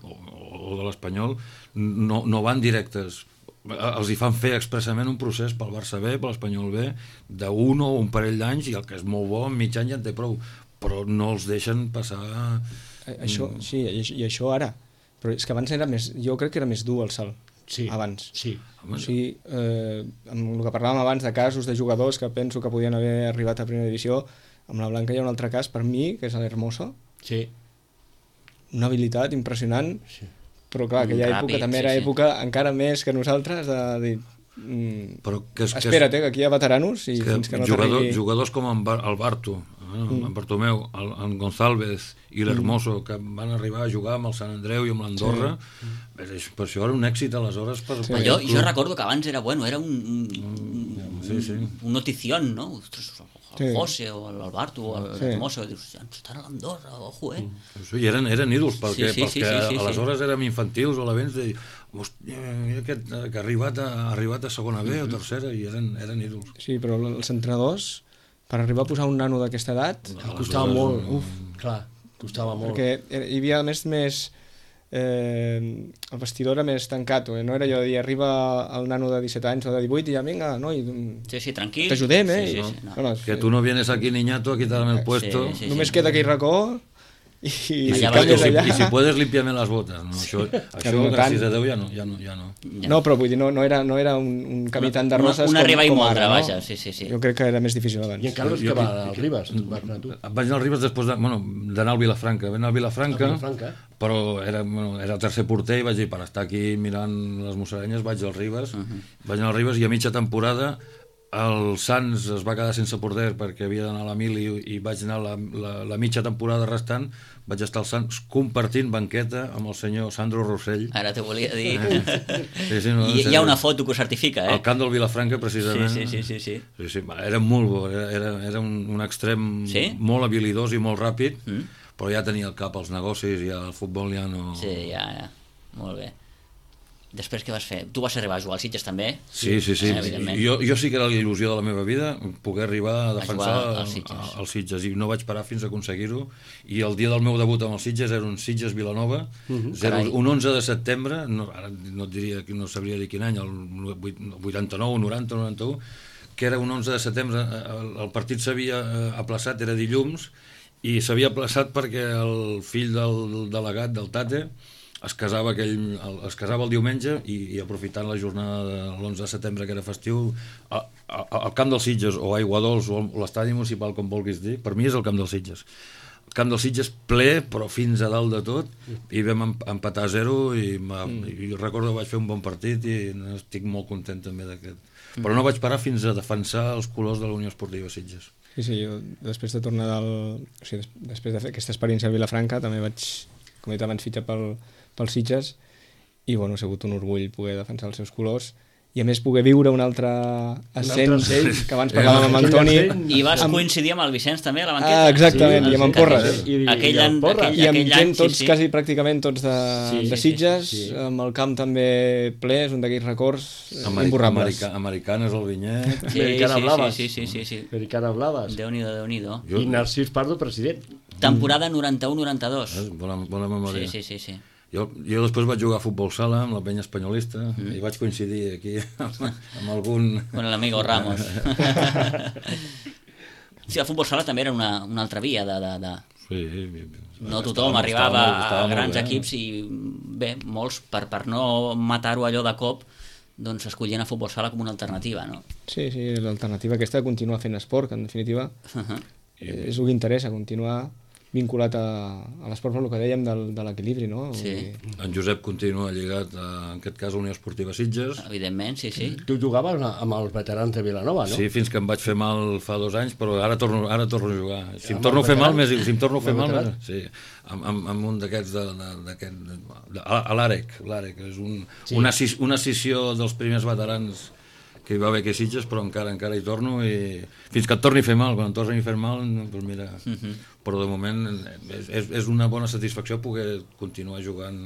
o de l'Espanyol, no van directes. Els hi fan fer expressament un procés pel Barça B, per l'Espanyol B, d'un o un parell d'anys, i el que és molt bo, en mig any ja en té prou, però no els deixen passar... Això, sí, i això ara. Però és que abans era més... Jo crec que era més dur el salt. Sí. Abans. Sí. O sigui, amb el que parlàvem abans de casos de jugadors que penso que podien haver arribat a primera divisió, amb la Blanca hi ha un altre cas per mi, que és l'Hermoso. Sí. Una habilitat impressionant, però clar, aquella època també era època encara més que nosaltres de dir... Espera't, que aquí hi ha veteranos i fins que no t'arribi... Jugadors com el Barto, en Bartomeu, en González i l'Hermoso, que van arribar a jugar amb el Sant Andreu i amb l'Andorra, per això era un èxit aleshores. Jo recordo que abans era un notición, no? El José o l'Alberto o l'Hermoso, dius, estan a l'Andorra, ojo, I eren ídols, perquè aleshores érem infantils o la vens de dir, aquest que ha arribat a segona B o tercera, i eren ídols. Sí, però els entrenadors, per arribar a posar un nano d'aquesta edat, costava molt. Clar, costava molt. Perquè hi havia més el vestidor era més tancat, no era allò de dir arriba el nano de 17 anys o de 18 i ja vinga, tranquil, t'ajudem, que tu no vienes aquí niñato, a quitarme el puesto. Només queda aquell racó I Allà si canvies vas tu. allà... I si puedes limpiarme les botes. No, això no gràcies tant. a Déu, ja no. No, però vull dir, no era un camí tan de roses una riba i com moldre, ara, no? vaja, sí. Jo crec que era més difícil abans. I en Carlos que va al Ribas, vas anar tu. Vaig anar al Ribes després d'anar al Vilafranca. Vaig anar al Vilafranca, però era el tercer porter i vaig dir, per estar aquí mirant les musaranyes, vaig al Ribes. Vaig anar al Ribes i a mitja temporada el Sants es va quedar sense porter perquè havia d'anar a l'Emili i vaig anar la mitja temporada restant, vaig estar al Sants compartint banqueta amb el senyor Sandro Rossell. Ara t'ho volia dir. Sí, no, Hi ha una foto que ho certifica, al camp del Vilafranca, precisament. Sí. Era molt bo, era un extrem molt habilidós i molt ràpid, però ja tenia el cap als negocis i el futbol ja no... Sí, ja. Molt bé. Després què vas fer? Tu vas arribar a jugar al Sitges també? Sí. Jo sí que era la il·lusió de la meva vida poder arribar a defensar el Sitges i no vaig parar fins a aconseguir-ho, i el dia del meu debut amb el Sitges era un Sitges-Vilanova, un 11 de setembre, ara no et diria, no sabria dir quin any, el 89, 90, 91, que era un 11 de setembre, el partit s'havia aplaçat, era dilluns, i s'havia aplaçat perquè el fill del delegat, del Tate, es casava el diumenge i aprofitant la jornada de l'11 de setembre, que era festiu, al camp dels Sitges o Aiguadols o l'estadi municipal, com vulguis dir, per mi és el camp dels Sitges. El camp dels Sitges ple, però fins a dalt de tot, i vam empatar a 0 i recordo que vaig fer un bon partit i estic molt content també d'aquest. Però no vaig parar fins a defensar els colors de la Unió Esportiva Sitges. Sí, jo després de tornar després de fer aquesta experiència al Vilafranca també vaig, com he dit abans, fitxar pel Sitges i bueno, ha sigut un orgull poder defensar els seus colors i a més poder viure un altre ascens que abans parlàvem amb Antoni i vas coincidir amb el Vicenç també a la banqueta. Exactament, i amb en Porres aquell any, i amb gent tots, quasi pràcticament tots de Sitges, amb el camp també ple, és un d'aquells records imborrables. Americanes al Vinyet, Americana Blaves. Sí. Americana Blaves. Déu-n'hi-do. I Narcís Pardo, president. Temporada 91-92. Bona memòria. Sí. Jo després vaig jugar a futbol sala amb la penya espanyolista i vaig coincidir aquí amb algun... Con l'amigo Ramos. Sí, el futbol sala també era una altra via de... Sí. No tothom arribava a grans equips i bé, molts, per no matar-ho allò de cop, doncs escollien a futbol sala com una alternativa, no? Sí, l'alternativa aquesta de continuar fent esport, que en definitiva és el que interessa, continuar vinculat a l'esport, per el que dèiem de l'equilibri, no? Sí. En Josep continua lligat, en aquest cas, a Unió Esportiva Sitges. Evidentment, sí. Tu jugaves amb els veterans de Vilanova, no? Sí, fins que em vaig fer mal fa 2 anys, però ara torno a jugar. Si em torno a fer mal, sí, amb un d'aquests a l'Àrec, una escissió dels primers veterans que hi va haver aquí a Sitges, però encara hi torno i fins que et torni a fer mal, quan et torni a fer mal, doncs mira, però de moment és una bona satisfacció poder continuar jugant,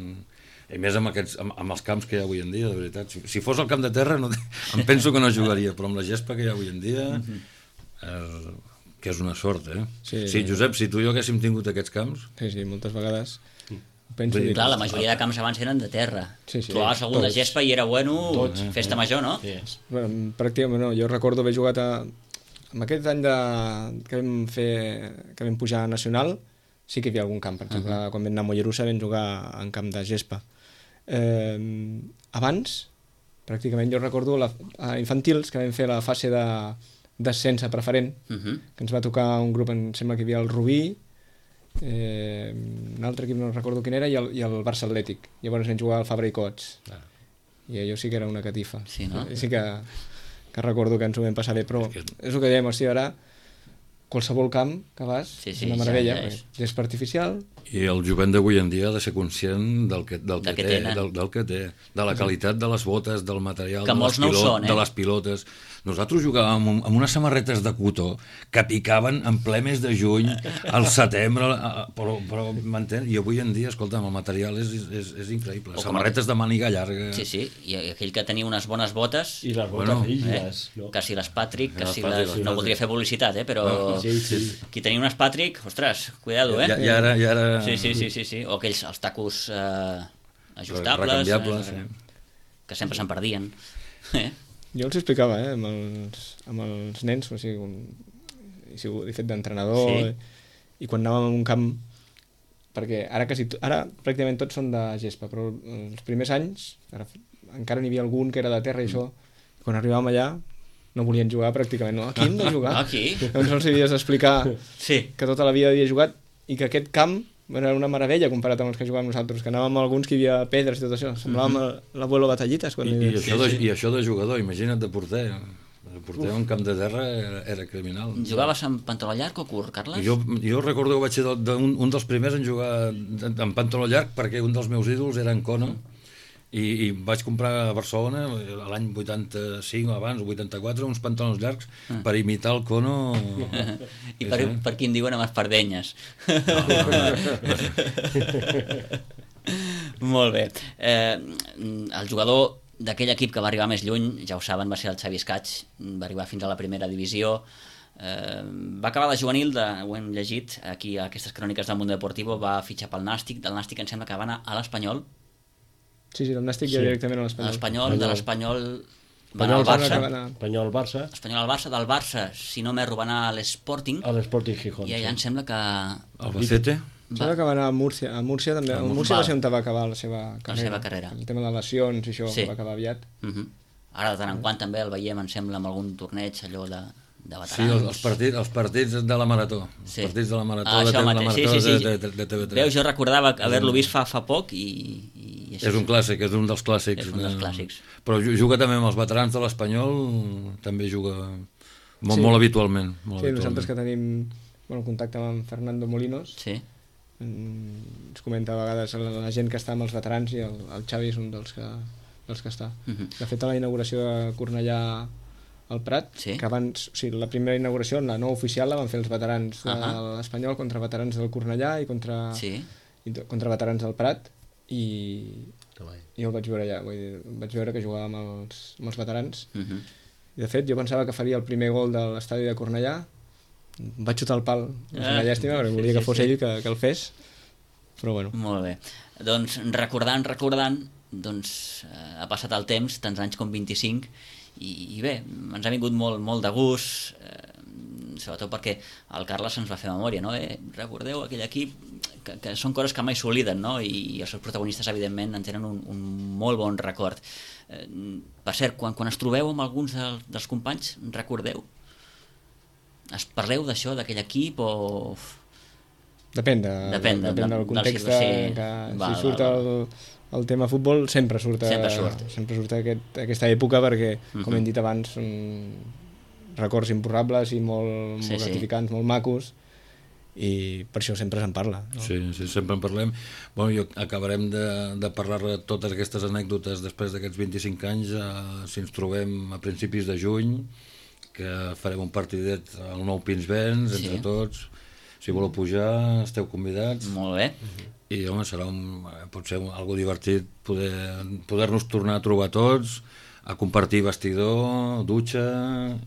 i més amb els camps que hi ha avui en dia, de veritat. Si fos al camp de terra em penso que no jugaria, però amb la gespa que hi ha avui en dia, que és una sort, Sí, Josep, si tu i jo haguéssim tingut aquests camps... Sí, moltes vegades... Clar, la majoria de camps abans eren de terra. Trobaves algun de gespa i era festa major, no? Bueno, pràcticament no, jo recordo haver jugat en aquest any que vam pujar a Nacional, sí que hi havia algun camp, per exemple, quan vam anar a Mollerussa vam jugar en camp de gespa. Abans, pràcticament jo recordo a infantils que vam fer la fase d'ascens a preferent, que ens va tocar un grup, em sembla que hi havia el Rubí, un altre equip no recordo quin era, i el Barça Atlètic. Llavors vam jugar al Fabra i Cots i allò sí que era una catifa. Sí, no? Sí que recordo que ens ho vam passar bé, però és el que dèiem, ara qualsevol camp que vas és una meravella, gespa artificial. I el jovent d'avui en dia ha de ser conscient del que té, de la qualitat de les botes, del material, de les pilotes. Nosaltres jugàvem amb unes samarretes de cotó que picaven en ple mes de juny, al setembre, però m'entens? I avui en dia, escolta'm, el material és increïble. Samarretes de màniga llarga. Sí, i aquell que tenia unes bones botes... I les botes rígides. Que si les Patrick, que si les... No voldria fer publicitat, però... Qui tenia unes Patrick, ostres, cuidado, I ara... Sí. O aquells, els tacos ajustables, que sempre se'n perdien. Jo els explicava amb els nens, he fet d'entrenador, i quan anàvem a un camp perquè ara pràcticament tots són de gespa, però els primers anys encara n'hi havia algun que era de terra i això, quan arribàvem allà no volien jugar pràcticament, no? Aquí hem de jugar. Aquí? Llavors els havies d'explicar Sí. que tota la vida havia jugat i que aquest camp era una meravella comparat amb els que jugàvem nosaltres, que anàvem a alguns que hi havia pedres i tot això, semblàvem l'abuelo Batallites. I això de jugador, imagina't de porter. El porter en camp de terra era criminal. Jugaves amb pantaló llarg o curt, Carles? Jo recordo que vaig ser un dels primers en jugar en pantaló llarg perquè un dels meus ídols era en Kono i vaig comprar a Barcelona l'any 85 o abans, 84, uns pantalons llargs per imitar el Kono. I per qui en diuen amb espardenyes. Molt bé. El jugador d'aquell equip que va arribar més lluny, ja ho saben, va ser el Xavi Escaig, va arribar fins a la primera divisió, va acabar de juvenil, ho hem llegit aquí a aquestes cròniques del Mundo Deportivo, va fitxar pel Nàstic, del Nàstic em sembla que va anar a l'Espanyol. Sí, del Nàstic ja directament a l'Espanyol. De l'Espanyol va anar al Barça. Espanyol al Barça. Espanyol al Barça, del Barça, si no m'erro, va anar a l'Sporting. A l'Sporting Gijón. I allà em sembla que... Albacete? Em sembla que va anar a Múrcia. A Múrcia també. A Múrcia va ser on va acabar la seva carrera. El tema de lesions i això va acabar aviat. Ara de tant en quant també el veiem, em sembla, amb algun torneig allò de veterans. Sí, els partits de la Marató. Els partits de la Marató de TV3. Veus, jo recordava haver-lo vist fa poc i és un clàssic, és un dels clàssics. És un dels clàssics. Però juga també amb els veterans de l'Espanyol, també juga molt habitualment. Sí, nosaltres que tenim contacte amb Fernando Molinos, ens comenta a vegades la gent que està amb els veterans i el Xavi és un dels que està. De fet, a la inauguració de Cornellà al Prat, que abans, o sigui, la primera inauguració, la no oficial, la van fer els veterans de l'Espanyol contra veterans del Cornellà i contra veterans del Prat, i jo el vaig veure allà, vaig veure que jugava amb els veterans, i de fet jo pensava que faria el primer gol de l'estadi de Cornellà, vaig xutar el pal, és una llàstima, perquè volia que fos ell que el fes, però bueno. Molt bé, doncs recordant, doncs ha passat el temps, tants anys com 25, i bé, ens ha vingut molt de gust, sobretot perquè el Carles ens va fer memòria, no? Recordeu aquell equip, que són coses que mai s'obliden, no? I els seus protagonistes evidentment en tenen un molt bon record. Per cert, quan es trobeu amb alguns dels companys, recordeu? Es parleu d'això, d'aquell equip, o...? Depèn del context, si surt el tema futbol sempre surt aquesta època, perquè com hem dit abans són records imborrables i molt gratificants, molt macos, i per això sempre se'n parla, no? Sí, sempre en parlem. Acabarem de parlar de totes aquestes anècdotes després d'aquests 25 anys, si ens trobem a principis de juny, que farem un partidet al Nou Pinsbens entre tots. Si voleu pujar, esteu convidats. Molt bé. I, home, serà potser algo divertit poder-nos tornar a trobar tots, a compartir vestidor, dutxa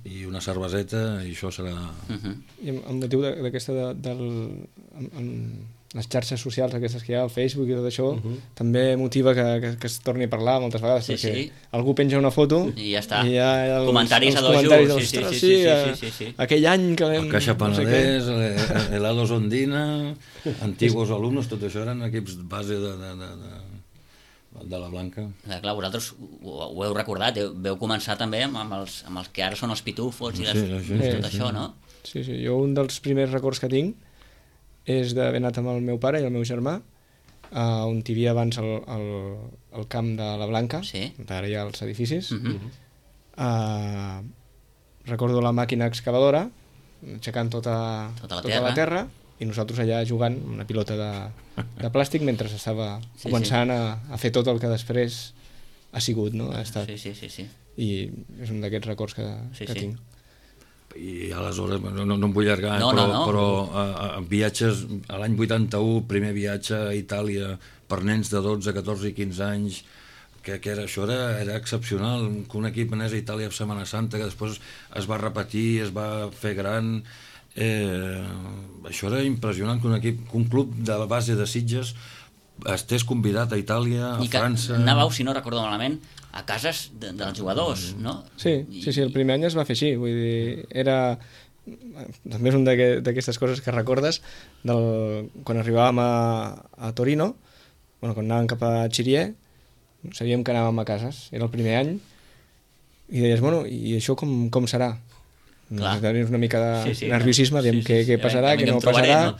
i una cerveseta, i això serà... I amb motiu d'aquesta les xarxes socials aquestes que hi ha, el Facebook i tot això, també motiva que es torni a parlar moltes vegades, perquè algú penja una foto i ja està, i hi ha comentaris a dos, sí, aquell any que vam... El Caixa Penedès, l'Helados Ondina, Antiguos Alumnos, tot això eren equips base de la Blanca. Clar, vosaltres ho heu recordat, veu començar també amb els que ara són els pitufos i tot això, no? Sí, jo un dels primers records que tinc és d'haver anat amb el meu pare i el meu germà, on hi havia abans el camp de la Blanca, ara hi ha els edificis. Recordo la màquina excavadora aixecant tota la terra i nosaltres allà jugant amb una pilota de plàstic mentre s'estava començant a fer tot el que després ha sigut, no? Ha estat. I és un d'aquests records que tinc. I aleshores, no em vull allargar, però viatges a l'any 81, primer viatge a Itàlia per nens de 12, 14 i 15 anys, que això era excepcional, que un equip anés a Itàlia a Setmana Santa, que després es va repetir, es va fer gran, això era impressionant, que un club de base de Sitges estés convidat a Itàlia, a França... I que anàveu, si no recordo malament, a cases dels jugadors, no? Sí, el primer any es va fer així, vull dir, era també és una d'aquestes coses que recordes quan arribàvem a Torino, quan anàvem cap a Chirié, sabíem que anàvem a cases, era el primer any, i deies, bueno, i això com serà? Tenies una mica de nerviosisme, aviam què passarà, què no passarà,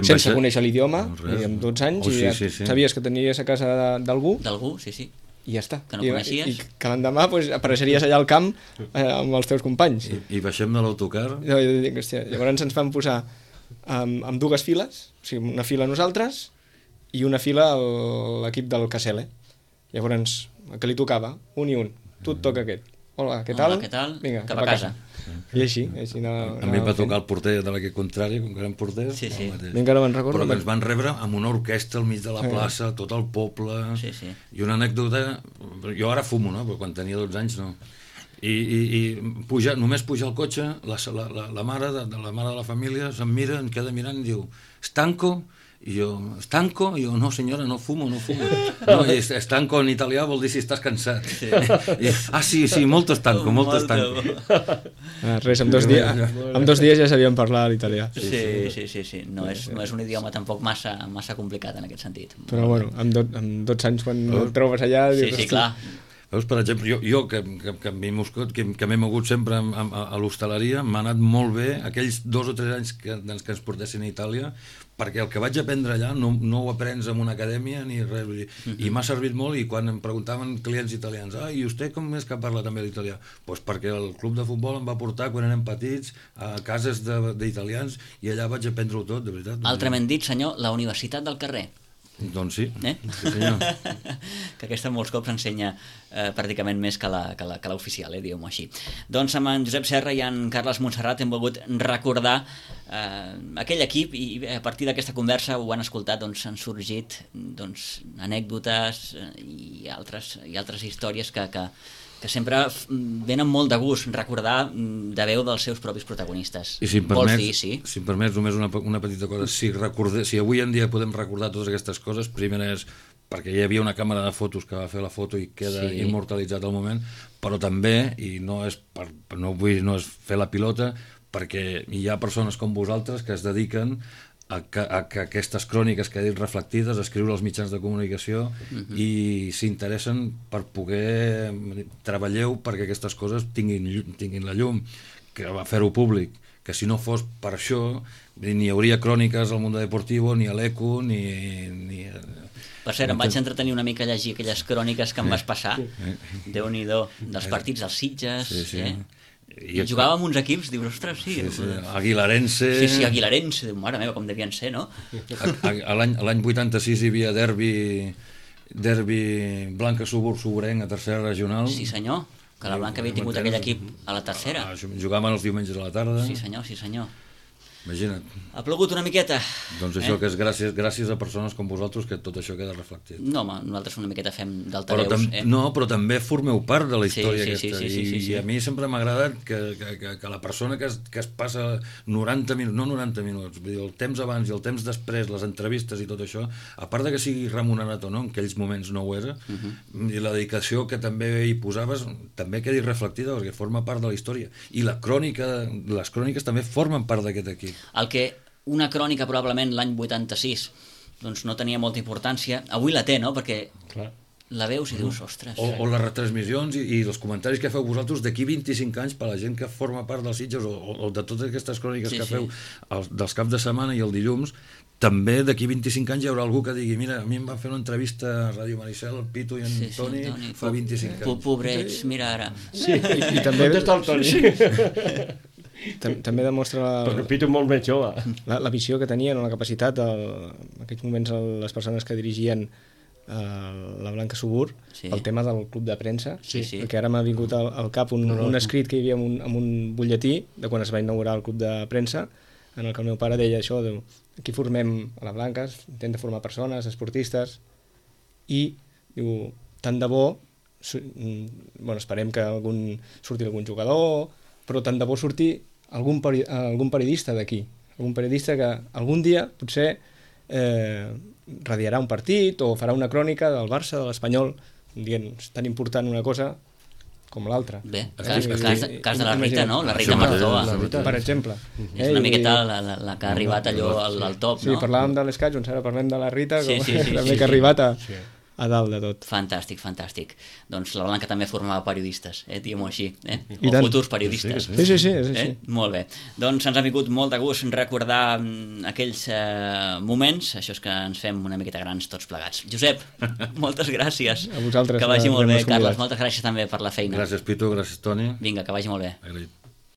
sense conèixer l'idioma, amb 12 anys, i ja sabies que tenies a casa d'algú, sí. I ja està. Que no coneixies. I que l'endemà apareixeries allà al camp amb els teus companys. I baixem de l'autocar. Llavors ens van posar amb dues files, o sigui, una fila nosaltres i una fila a l'equip del Casele. Llavors, el que li tocava, un i un. Tu et toca aquest. Hola, què tal? Vinga, cap a casa. I així a mi em va tocar el porter de l'equip contrari, com que érem porters. Sí. Encara me'n recordo. Però que ens van rebre amb una orquestra al mig de la plaça, tot el poble. Sí. I una anècdota, jo ara fumo, no? Però quan tenia 12 anys no. I només pujar al cotxe, la mare de la família se'm mira, em queda mirant i diu, «Stanco?» I jo, «Stanco?» I jo, «No, senyora, no fumo». No, «Stanco» en italià vol dir si estàs cansat. Sí, molto stanco. Res, amb 2 dies ja sabíem parlar l'italià. Sí. No és un idioma tampoc massa complicat en aquest sentit. Però bueno, amb 12 anys quan el trobes allà... Sí, clar. Veus, per exemple, jo que m'he mogut sempre a l'hostaleria, m'ha anat molt bé aquells 2 o 3 anys que ens portessin a Itàlia, perquè el que vaig aprendre allà no ho aprens en una acadèmia ni res, i m'ha servit molt. I quan em preguntaven clients italians, i vostè com és que parla també l'italià? Doncs perquè el club de futbol em va portar quan érem petits a cases d'italians i allà vaig aprendre-ho tot, de veritat. Altrament dit, senyor, la universitat del carrer. Doncs sí, sí senyor. Que aquesta molts cops ensenya pràcticament més que l'oficial, diguem-ho així. Doncs amb en Josep Serra i en Carles Montserrat hem volgut recordar aquell equip, i a partir d'aquesta conversa ho han escoltat, doncs han sorgit anècdotes i altres històries que sempre venen molt de gust recordar de veu dels seus propis protagonistes. I si em permets només una petita cosa, si avui en dia podem recordar totes aquestes coses, primer és perquè hi havia una càmera de fotos que va fer la foto i queda immortalitzat al moment, però també, i no és fer la pilota, perquè hi ha persones com vosaltres que es dediquen a que aquestes cròniques que he dit reflectides, escriure als mitjans de comunicació i s'interessen per poder treballeu perquè aquestes coses tinguin la llum, que va fer-ho públic, que si no fos per això ni hi hauria cròniques al Mundo Deportivo, ni a l'Eco, ni... Per cert, em vaig entretenir una mica a llegir aquelles cròniques que em vas passar, Déu-n'hi-do, dels partits dels Sitges, i jugava amb uns equips, dius, ostres, sí. Aguilarense. Sí, Aguilarense, mare meva, com devien ser, no? L'any 86 hi havia derbi Blanca Soburenc a tercera regional. Sí, senyor, que la Blanca havia tingut aquell equip a la tercera. Jugaven els diumenges a la tarda. Sí, senyor. Imagina't. Ha plogut una miqueta. Doncs això que és gràcies a persones com vosaltres que tot això queda reflectit. No, home, nosaltres una miqueta fem d'altaveus. No, però també formeu part de la història aquesta. I a mi sempre m'ha agradat que la persona que es passa 90 minuts, no 90 minuts, vull dir, el temps abans i el temps després, les entrevistes i tot això, a part de que sigui remunerat o no, en aquells moments no ho era, i la dedicació que també hi posaves també quedi reflectida perquè forma part de la història. I les cròniques també formen part d'aquest equip. El que una crònica probablement l'any 86 doncs no tenia molta importància, avui la té, no? Perquè la veus i dius, ostres... O les retransmissions i els comentaris que feu vosaltres d'aquí 25 anys per a la gent que forma part dels Sitges o de totes aquestes cròniques que feu dels caps de setmana i el dilluns, també d'aquí 25 anys hi haurà algú que digui, mira, a mi em va fer una entrevista a Ràdio Maricel, el Pitu i en Toni fa 25 anys. Pobrets, mira ara. Sí, i també... On està el Toni? També demostra Perquè Pitu molt més jove. La visió que tenien o la capacitat en aquells moments les persones que dirigien la Blanca Subur, el tema del club de premsa, perquè ara m'ha vingut al cap un escrit que hi havia en un butlletí de quan es va inaugurar el club de premsa, en el que el meu pare deia això, aquí formem a la Blanca, intenta formar persones, esportistes, i diu, tant de bo, esperem que surti algun jugador, però tant de bo surti algun periodista d'aquí, algun periodista que algun dia potser radiarà un partit o farà una crònica del Barça, de l'Espanyol, dient, és tan important una cosa com l'altre. Bé, cas de la Rita, no? La Rita Això Marzoa. Per exemple. És una miqueta la que ha arribat allò al top, Sí, no? parlàvem de l'Escaig, doncs ara parlem de la Rita, Sí, com sí, sí, també sí, que ha sí. arribat a dalt de tot. Fantàstic, fantàstic. Doncs la Blanca també formava periodistes, diguem-ho així, I o tant. futurs periodistes. Sí, és així. Molt bé. Doncs ens ha vingut molt de gust recordar aquells moments, això és que ens fem una miqueta grans tots plegats. Josep, moltes gràcies. A vosaltres, Que vagi molt bé, haver-nos Carles. convidat. Moltes gràcies també per la feina. Gràcies, Pitu, gràcies, Toni. Vinga, que vagi molt bé. Agraït.